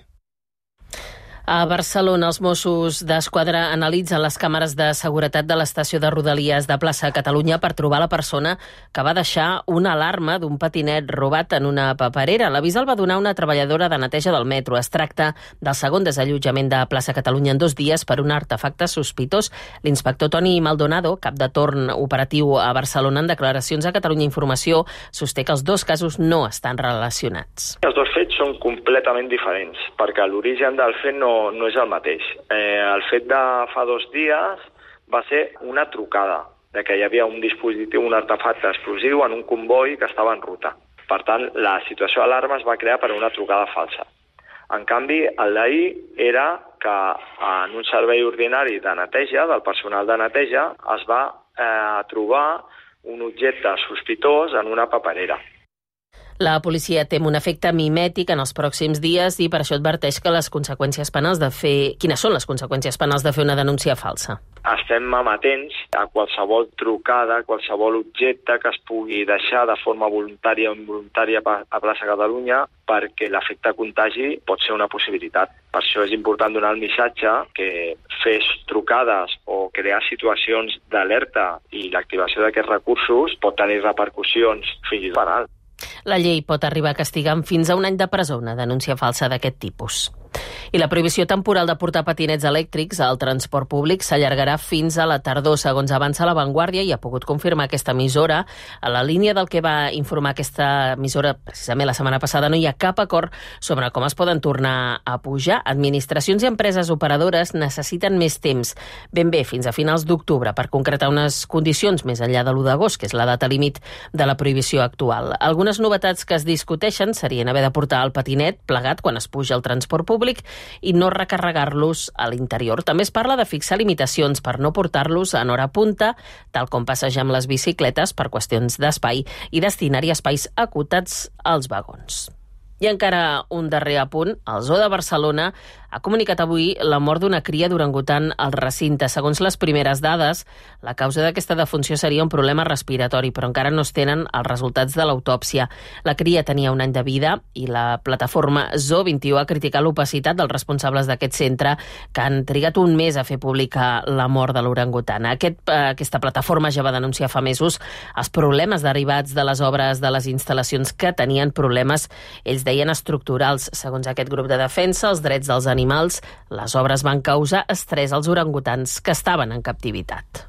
A Barcelona, els Mossos d'Esquadra analitzen les càmeres de seguretat de l'estació de Rodalies de Plaça Catalunya per trobar la persona que va deixar una alarma d'un patinet robat en una paperera. L'avís el va donar una treballadora de neteja del metro. Es tracta del segon desallotjament de Plaça Catalunya en dos dies per un artefacte sospitós. L'inspector Toni Maldonado, cap de torn operatiu a Barcelona, en declaracions a Catalunya Informació, sosté que els dos casos no estan relacionats. Els dos fets són completament diferents, perquè l'origen del fet no no és el mateix. Eh, el fet de fa dos dies va ser una trucada, de que hi havia un dispositiu, un artefacte explosiu en un comboi que estava en ruta. Per tant, la situació d'alarma es va crear per una trucada falsa. En canvi, el d'ahir era que en un servei ordinari de neteja, del personal de neteja, es va eh, trobar un objecte sospitós en una paperera. La policia tem un efecte mimètic en els pròxims dies i per això adverteix que les conseqüències penals de fer... Quines són les conseqüències penals de fer una denúncia falsa? Estem amatents a qualsevol trucada, a qualsevol objecte que es pugui deixar de forma voluntària o involuntària a Plaça Catalunya, perquè l'efecte contagi pot ser una possibilitat. Per això és important donar el missatge que fer trucades o crear situacions d'alerta i l'activació d'aquests recursos pot tenir repercussions fins i tot penals. La llei pot arribar a castigar amb fins a un any de presó una denúncia falsa d'aquest tipus. I la prohibició temporal de portar patinets elèctrics al transport públic s'allargarà fins a la tardor, segons avança La Vanguardia, i ha pogut confirmar aquesta emissora. A la línia del que va informar aquesta emissora precisament la setmana passada, no hi ha cap acord sobre com es poden tornar a pujar. Administracions i empreses operadores necessiten més temps, ben bé fins a finals d'octubre, per concretar unes condicions més enllà de l'u d'agost, que és la data límit de la prohibició actual. Algunes novetats que es discuteixen serien haver de portar el patinet plegat quan es puja al transport públic i no recarregar-los a l'interior. També es parla de fixar limitacions per no portar-los en hora punta, tal com passejar amb les bicicletes per qüestions d'espai, i destinar-hi espais acotats als vagons. I encara un darrer apunt. El Zoo de Barcelona ha comunicat avui la mort d'una cria d'orangutan al recinte. Segons les primeres dades, la causa d'aquesta defunció seria un problema respiratori, però encara no es tenen els resultats de l'autòpsia. La cria tenia un any de vida i la plataforma Zoo vint i u ha criticat l'opacitat dels responsables d'aquest centre, que han trigat un mes a fer pública la mort de l'orangutan. Aquest, aquesta plataforma ja va denunciar fa mesos els problemes derivats de les obres de les instal·lacions que tenien problemes, ells deien estructurals. Segons aquest grup de defensa, els drets dels animals, les obres van causar estrès als orangutans que estaven en captivitat.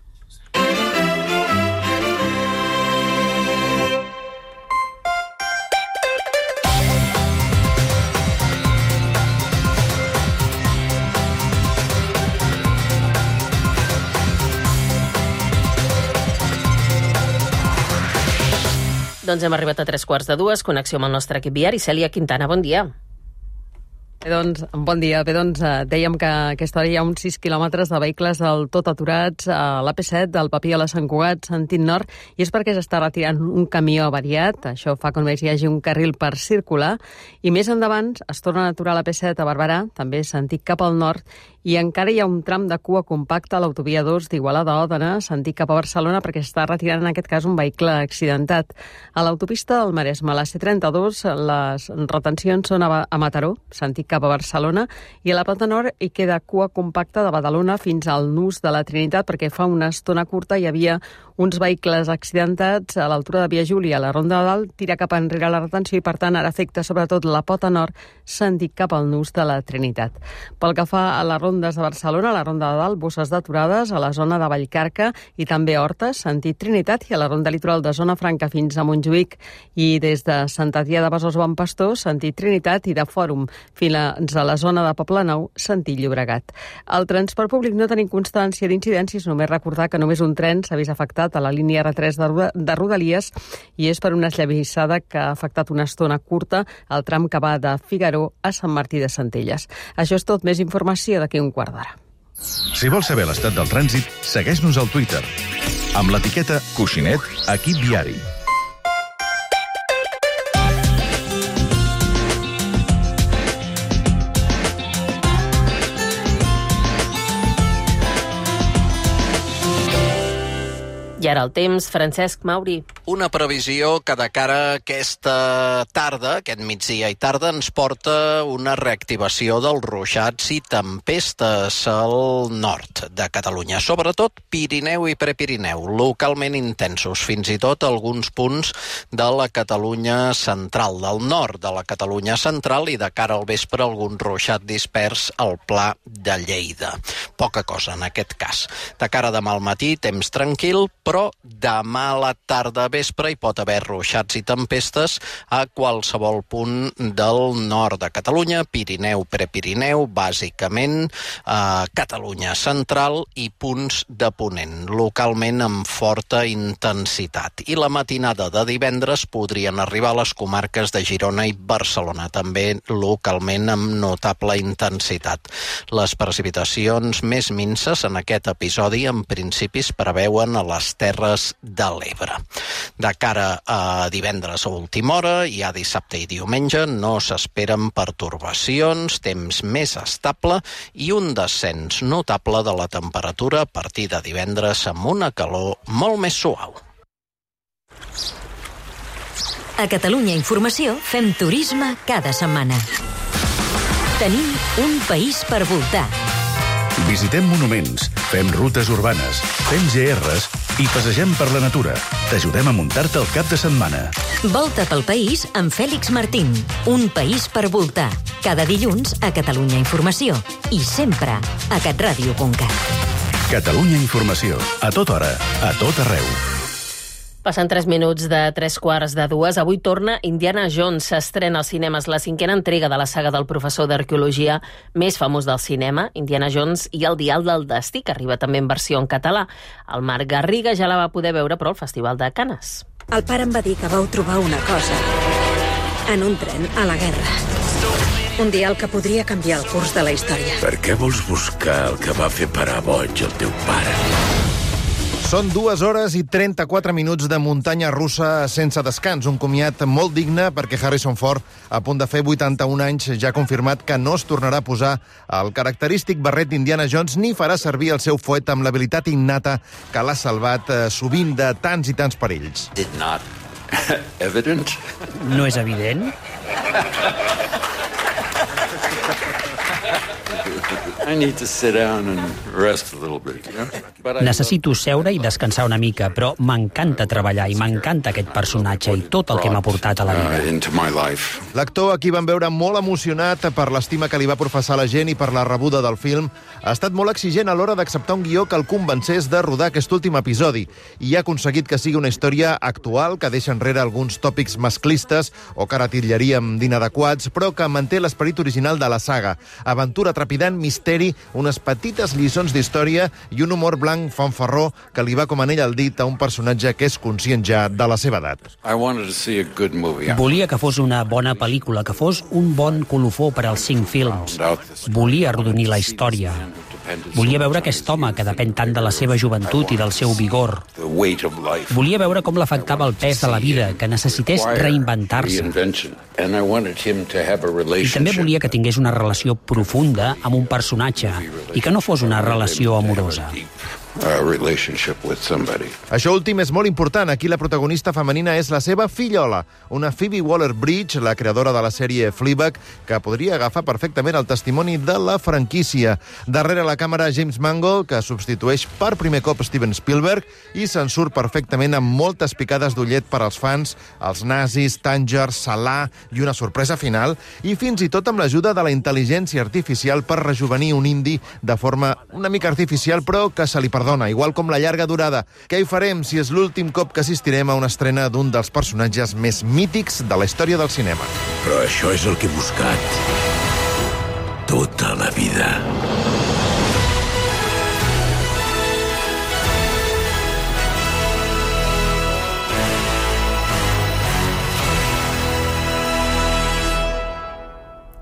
Doncs hem arribat a tres quarts de dues, connexió amb el nostre equip viari. Cèlia Quintana, bon dia. Bé, doncs, bon dia. Bé, doncs, dèiem que a aquesta hora hi ha uns sis quilòmetres de vehicles del tot aturats a l'A P set, del Papí a la Sant Cugat, sentit nord, i és perquè s'està retirant un camió avariat. Això fa que només hi hagi un carril per circular. I més endavant es torna a aturar l'A P set a Barberà, també sentit cap al nord, i encara hi ha un tram de cua compacta a l'autovia dos d'Igualada a Òdena, sentit cap a Barcelona, perquè està retirant en aquest cas un vehicle accidentat. A l'autopista del Maresme, a la C trenta-dos, les retencions són a Mataró, sentit cap a Barcelona, i a la Plata Nord hi queda cua compacta de Badalona fins al nus de la Trinitat, perquè fa una estona curta hi havia uns vehicles accidentats a l'altura de Via Júlia, a la Ronda de Dalt, tira cap enrere la retenció i, per tant, ara afecta sobretot la Pota Nord, sentit cap al nus de la Trinitat. Pel que fa a les rondes de Barcelona, a la Ronda de Dalt, bosses d'aturades a la zona de Vallcarca i també Hortes, sentit Trinitat, i a la Ronda Litoral de Zona Franca fins a Montjuïc, i des de Sant Adrià de Besòs Bon Pastor, sentit Trinitat, i de Fòrum fins a la zona de Poblenou, sentit Llobregat. Al transport públic no tenim constància d'incidències, només recordar que només un tren s'ha vist afectat a la línia R tres de Rodalies, i és per una esllavissada que ha afectat una estona curta al tram que va de Figaró a Sant Martí de Centelles. Això és tot, més informació d'aquí un quart d'hora. Si vols saber l'estat del trànsit, segueix-nos al Twitter amb l'etiqueta Coixinet Equip Viari. I ara el temps, Francesc Mauri. Una previsió que de cara a aquesta tarda, aquest migdia i tarda, ens porta una reactivació dels ruixats i tempestes al nord de Catalunya, sobretot Pirineu i Prepirineu, localment intensos, fins i tot alguns punts de la Catalunya central, del nord de la Catalunya central, i de cara al vespre algun ruixat dispers al Pla de Lleida. Poca cosa en aquest cas. De cara a demà al matí, temps tranquil, però però demà a la tarda vespre hi pot haver ruixats i tempestes a qualsevol punt del nord de Catalunya, Pirineu, Prepirineu, bàsicament a Catalunya central i punts de ponent, localment amb forta intensitat. I la matinada de divendres podrien arribar a les comarques de Girona i Barcelona, també localment amb notable intensitat. Les precipitacions més minses en aquest episodi en principi es preveuen a les terres Terres de l'Ebre. De cara a divendres a última hora, ja dissabte i diumenge, no s'esperen pertorbacions, temps més estable i un descens notable de la temperatura a partir de divendres amb una calor molt més suau. A Catalunya Informació fem turisme cada setmana. Tenim un país per voltar. Visitem monuments, fem rutes urbanes, fem G Rs i passegem per la natura. T'ajudem a muntar-te el cap de setmana. Volta pel país amb Fèlix Martín. Un país per voltar. Cada dilluns a Catalunya Informació. I sempre a catradio punt cat. Catalunya Informació. A tota hora, a tot arreu. Passant tres minuts de tres quarts de dues, avui torna Indiana Jones. S'estrena als cinemes la cinquena entrega de la saga del professor d'arqueologia més famós del cinema, Indiana Jones i el dial del destí, que arriba també en versió en català. El Marc Garriga ja la va poder veure, però al Festival de Canes. El pare em va dir que vau trobar una cosa en un tren a la guerra. Un dial que podria canviar el curs de la història. Per què vols buscar el que va fer parar boig el teu pare? Són dues hores i trenta-quatre minuts de muntanya russa sense descans. Un comiat molt digne perquè Harrison Ford, a punt de fer vuitanta-un anys, ja ha confirmat que no es tornarà a posar el característic barret d'Indiana Jones ni farà servir el seu fuet amb l'habilitat innata que l'ha salvat eh, sovint de tants i tants perills. It not evident? No és evident? I need to sit down and rest a little bit, you know? Necessito seure i descansar una mica, però m'encanta treballar i m'encanta aquest personatge i tot el que m'ha portat a la vida. L'actor, a qui van veure molt emocionat per l'estima que li va professar la gent i per la rebuda del film, ha estat molt exigent a l'hora d'acceptar un guió que el convencés de rodar aquest últim episodi i ha aconseguit que sigui una història actual, que deixa enrere alguns tòpics masclistes o que ara titllaríem d'inadequats, però que manté l'esperit original de la saga. Aventura trepidant, misteri, unes petites lliçons d'història i un humor blanc fanfarró que li va com anell al dit a un personatge que és conscient ja de la seva edat. Volia que fos una bona pel·lícula, que fos un bon colofó per als cinc films. Volia arrodonir la història. Volia veure aquest home que depèn tant de la seva joventut i del seu vigor. Volia veure com l'afectava el pes de la vida, que necessités reinventar-se. I també volia que tingués una relació profunda amb un personatge i que no fos una relació amorosa. Això últim és molt important. Aquí la protagonista femenina és la seva fillola, una Phoebe Waller-Bridge, la creadora de la sèrie Fleabag, que podria agafar perfectament el testimoni de la franquícia. Darrere la càmera, James Mangold, que substitueix per primer cop Steven Spielberg i se'n surt perfectament amb moltes picades d'ullet per als fans, els nazis, Tanger, Salah i una sorpresa final, i fins i tot amb l'ajuda de la intel·ligència artificial per rejuvenir un indi de forma una mica artificial, però que se li perdona. Dona, igual com la llarga durada. Què hi farem si és l'últim cop que assistirem a una estrena d'un dels personatges més mítics de la història del cinema? Però això és el que he buscat tota la vida.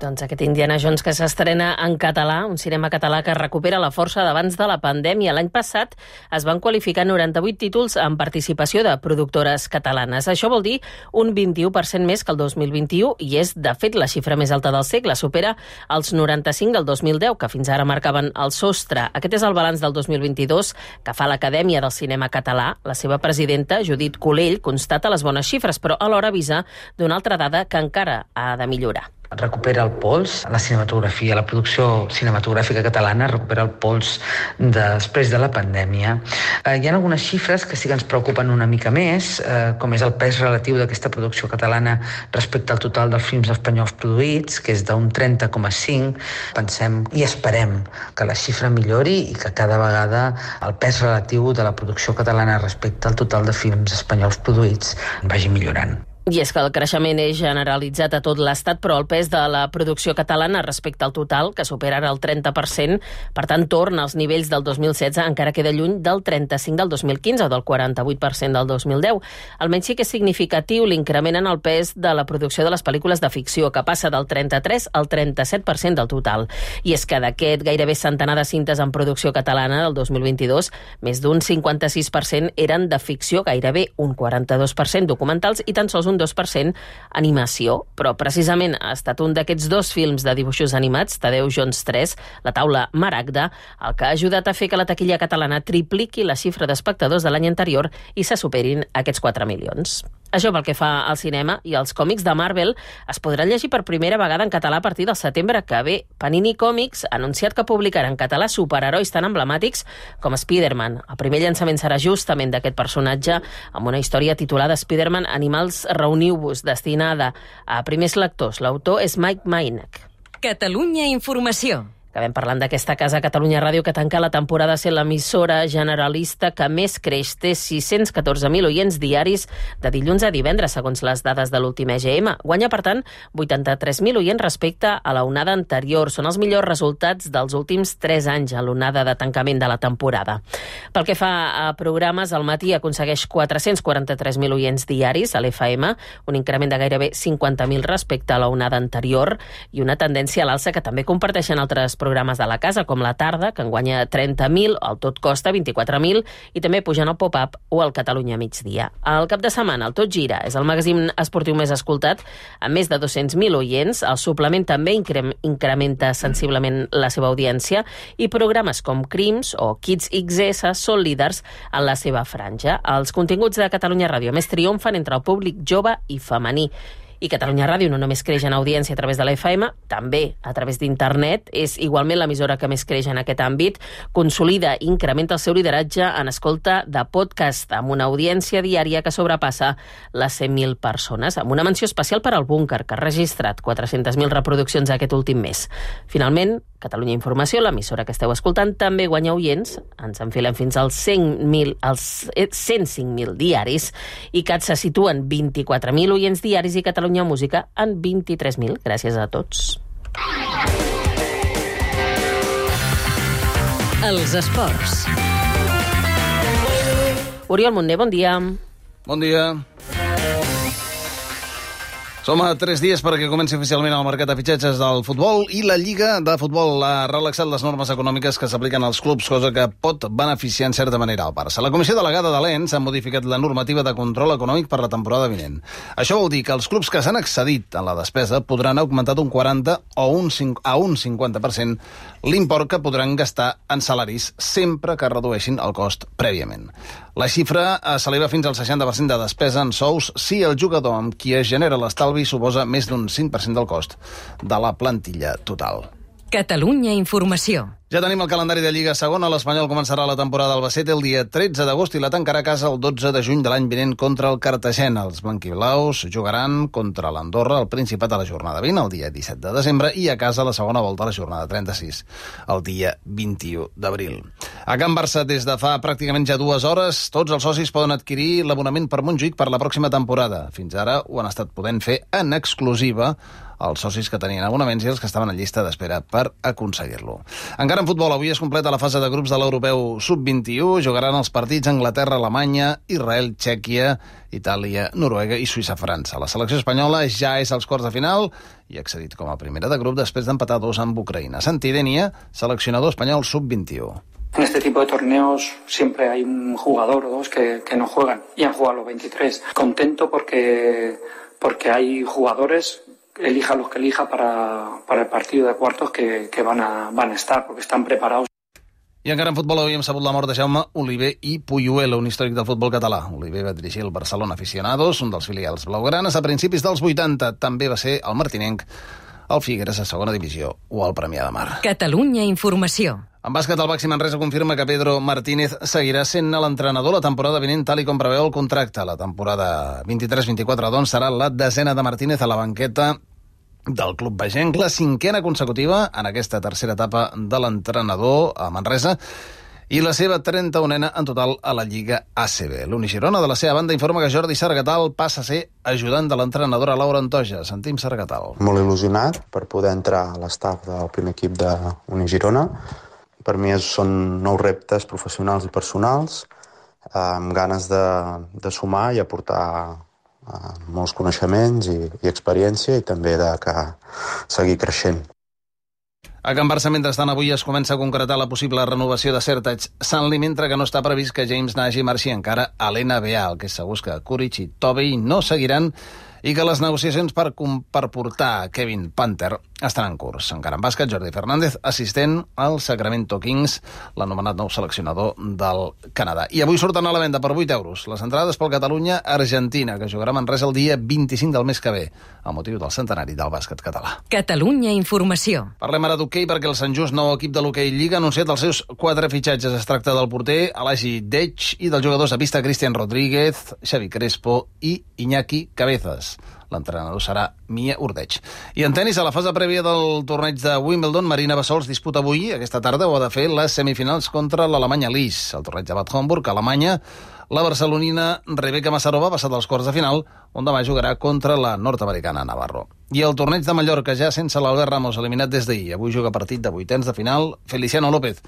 Doncs aquest Indiana Jones que s'estrena en català, un cinema català que recupera la força d'abans de la pandèmia. L'any passat es van qualificar noranta-vuit títols amb participació de productores catalanes. Això vol dir un vint-i-u per cent més que el dos mil vint-i-u i és, de fet, la xifra més alta del segle. Supera els noranta-cinc del dos mil deu, que fins ara marcaven el sostre. Aquest és el balanç del dos mil vint-i-dos que fa l'Acadèmia del Cinema Català. La seva presidenta, Judit Colell, constata les bones xifres, però alhora avisa d'una altra dada que encara ha de millorar. Recupera el pols, la cinematografia, la producció cinematogràfica catalana recupera el pols després de la pandèmia. Eh, hi ha algunes xifres que sí que ens preocupen una mica més, eh, com és el pes relatiu d'aquesta producció catalana respecte al total dels films espanyols produïts, que és d'un trenta coma cinc. Pensem i esperem que la xifra millori i que cada vegada el pes relatiu de la producció catalana respecte al total de films espanyols produïts vagi millorant. I és que el creixement és generalitzat a tot l'Estat, però el pes de la producció catalana respecte al total, que supera ara el trenta per cent, per tant, torna als nivells del dos mil setze, encara queda lluny del trenta-cinc del dos mil quinze o del quaranta-vuit per cent del dos mil deu. Almenys sí que és significatiu l'increment en el pes de la producció de les pel·lícules de ficció, que passa del trenta-tres al trenta-set per cent del total. I és que d'aquest gairebé centenar de cintes en producció catalana del dos mil vint-i-dos, més d'un cinquanta-sis per cent eren de ficció, gairebé un quaranta-dos per cent documentals i tan sols un dos per cent animació. Però precisament ha estat un d'aquests dos films de dibuixos animats, Tadeu Jones tres, La taula Maragda, el que ha ajudat a fer que la taquilla catalana tripliqui la xifra d'espectadors de l'any anterior i se superin aquests quatre milions. Això pel que fa al cinema, i els còmics de Marvel es podran llegir per primera vegada en català a partir del setembre que ve. Panini Comics ha anunciat que publicarà en català superherois tan emblemàtics com Spider-Man. El primer llançament serà justament d'aquest personatge, amb una història titulada Spider-Man Animals Reuniu-vos, destinada a primers lectors. L'autor és Mike Meineck. Catalunya Informació. Acabem parlant d'aquesta casa, Catalunya Ràdio, que tanca la temporada sent l'emissora generalista que més creix. Té sis-cents catorze mil oients diaris de dilluns a divendres, segons les dades de l'últim E G M. Guanya, per tant, vuitanta-tres mil oients respecte a la onada anterior. Són els millors resultats dels últims tres anys a l'onada de tancament de la temporada. Pel que fa a programes, al matí aconsegueix quatre-cents quaranta-tres mil oients diaris a l'F M, un increment de gairebé cinquanta mil respecte a la onada anterior i una tendència a l'alça que també comparteixen altres programes de la casa, com La Tarda, que en guanya trenta mil, el Tot Costa vint-i-quatre mil, i també pujant el Pop-Up o el Catalunya Migdia. Al cap de setmana, el Tot Gira és el magazín esportiu més escoltat, amb més de dos-cents mil oients. El suplement també incrementa sensiblement la seva audiència i programes com Crims o Kids X S són líders en la seva franja. Els continguts de Catalunya Ràdio més triomfen entre el públic jove i femení. I Catalunya Ràdio no només creix en audiència a través de l'F M, també a través d'internet. És igualment l'emissora que més creix en aquest àmbit. Consolida i incrementa el seu lideratge en escolta de podcast, amb una audiència diària que sobrepassa les cent mil persones, amb una menció especial per al Búnquer, que ha registrat quatre-centes mil reproduccions aquest últim mes. Finalment, Catalunya Informació, l'emissora que esteu escoltant, també guanya oients. Ens enfilem fins als cent mil, als cent cinc mil diaris, i CAT se situen vint-i-quatre mil oients diaris i Catalunya Música en vint-i-tres mil. Gràcies a tots. Els esports. Oriol Montner, bon dia. Bon dia. Som a tres dies perquè comenci oficialment el mercat de fitxatges del futbol, i la Lliga de Futbol ha relaxat les normes econòmiques que s'apliquen als clubs, cosa que pot beneficiar en certa manera el Barça. La Comissió Delegada de l'E N S ha modificat la normativa de control econòmic per la temporada vinent. Això vol dir que els clubs que s'han excedit en la despesa podran augmentar d'un quaranta o un a un cinquanta per cent l'import que podran gastar en salaris sempre que redueixin el cost prèviament. La xifra s'eleva fins al seixanta per cent de despesa en sous si el jugador amb qui es genera l'estalvi suposa més d'un cinc per cent del cost de la plantilla total. Catalunya Informació. Ja tenim el calendari de Lliga Segona. L'Espanyol començarà la temporada al Albacete el dia tretze d'agost i la tancarà a casa el dotze de juny de l'any vinent contra el Cartagena. Els blanquiblaus jugaran contra l'Andorra al Principat a la jornada vint, el dia disset de desembre, i a casa la segona volta a la jornada trenta-sis, el dia vint-i-u d'abril. A Can Barça, des de fa pràcticament ja dues hores, tots els socis poden adquirir l'abonament per Montjuïc per la pròxima temporada. Fins ara ho han estat podent fer en exclusiva els socis que tenien abonaments i els que estaven en llista d'espera per aconseguir-lo. Encara en futbol, avui es completa la fase de grups de l'Europeu sub vint-i-u. Jugaran els partits Anglaterra, Alemanya, Israel, Txèquia, Itàlia, Noruega i Suïssa-França. La selecció espanyola ja és als quarts de final i ha accedit com a primera de grup després d'empatar dos amb Ucraïna. Santi Denia, seleccionador espanyol sub vint-i-u. En este tipo de torneos siempre hay un jugador o dos que, que no juegan y han jugado los veintitrés. Contento porque, porque hay jugadores, elija los que elija para, para el partido de cuartos que, que van, a, van a estar, porque están preparados. I encara en futbol avui hem sabut la mort de Jaume Oliver i Puyuelo, un històric del futbol català. Oliver va dirigir el Barcelona Aficionados, un dels filials blaugranes, a principis dels vuitanta. També va ser el martinenc, el Figueres a segona divisió o el Premià de Mar. Catalunya Informació. En bàsquet, el Baxi Manresa confirma que Pedro Martínez seguirà sent l'entrenador la temporada vinent, tal i com preveu el contracte. La temporada vint-i-tres vint-i-quatre, doncs, serà la desena de Martínez a la banqueta del club bagenc, la cinquena consecutiva en aquesta tercera etapa de l'entrenador a Manresa. i la seva trenta-unena en total a la Lliga A C B. L'Uni Girona, de la seva banda, informa que Jordi Sargatal passa a ser ajudant de l'entrenadora Laura Antoja. Sentim Sargatal. Molt il·lusionat per poder entrar a l'estaf del primer equip d'Uni Girona. Per mi són nous reptes professionals i personals, amb ganes de, de sumar i aportar molts coneixements i, i experiència, i també de que seguir creixent. A Can Barça, mentrestant, avui es comença a concretar la possible renovació de Sertac Sanli, mentre que no està previst que James Nagy marxi encara a l'N B A. El que és segur és que Kuric i Tobey no seguiran i que les negociacions per, per portar Kevin Panther estan en curs. Encara en bàsquet, Jordi Fernández, assistent al Sacramento Kings, l'anomenat nou seleccionador del Canadà. I avui surten a la venda per vuit euros les entrades pel Catalunya-Argentina, que jugarà a Manresa el dia vint-i-cinc del mes que ve, amb motiu del centenari del bàsquet català. Catalunya Informació. Parlem ara d'hoquei perquè el Sant Just, nou equip de l'hoquei Lliga, ha anunciat els seus quatre fitxatges. Es tracta del porter Alagi Dech i dels jugadors de pista Cristian Rodríguez, Xavi Crespo i Iñaki Cabezas. L'entrenador serà Mia Urdeig. I en tenis, a la fase prèvia del torneig de Wimbledon, Marina Bassols disputa avui, aquesta tarda, o ha de fer les semifinals contra l'Alemanya Lis. El torneig de Bad Homburg, a Alemanya, la barcelonina Rebeka Massarova ha passat als quarts de final, on demà jugarà contra la nord-americana Navarro. I el torneig de Mallorca, ja sense l'Albert Ramos, eliminat des d'ahir. Avui juga partit de vuitens de final Feliciano López,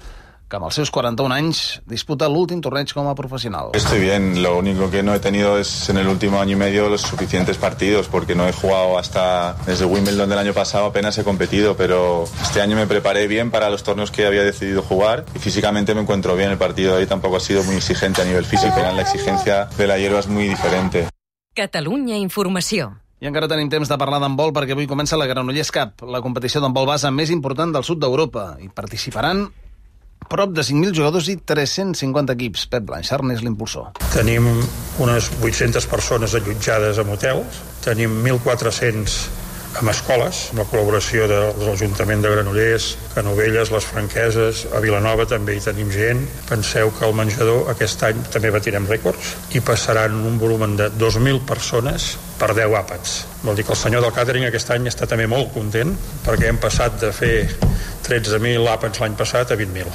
que amb els seus quaranta-un anys disputa l'últim torneig com a profesional. Estoy bien, lo único que no he tenido es en el último año y medio los suficientes partidos, porque no he jugado hasta desde Wimbledon del año pasado, apenas he competido, pero este año me preparé bien para los torneos que había decidido jugar y físicamente me encuentro bien. El partido de hoy tampoco ha sido muy exigente a nivel físico, la exigencia de la hierba es muy diferente. Catalunya Informació. I encara tenim temps de parlar d'handbol perquè avui comença la Granollers Cup, la competició d'handbol base més important del sud d'Europa. Hi participaran prop de cinc mil jugadors i tres-cents cinquanta equips. Pep Blanchard n'és l'impulsor. Tenim unes vuit-centes persones allotjades en hotels, tenim mil quatre-cents en escoles, amb la col·laboració de, de l'Ajuntament de Granollers, Canovelles, les Franqueses, a Vilanova també hi tenim gent. Penseu que al menjador aquest any també batirem rècords i passaran un volum de dos mil persones per deu àpats. Vol dir que el senyor del càtering aquest any està també molt content perquè hem passat de fer tretze mil àpats l'any passat a vint mil.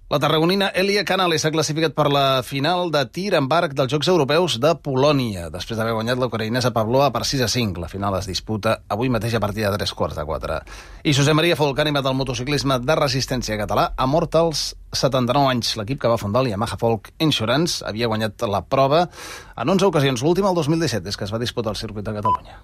La tarragonina Elia Canales s'ha classificat per la final de tir amb arc dels Jocs Europeus de Polònia, després d'haver guanyat la ucraïnesa Pavlova per sis a cinc. La final es disputa avui mateix a partir de tres quarts de quatre. I Josep Maria Folk, ànima del motociclisme de resistència català, ha mort als setanta-nou anys. L'equip que va fundar el Yamaha Folk Insurance havia guanyat la prova en onze ocasions, l'última el dos mil disset, des que es va disputar el circuit de Catalunya.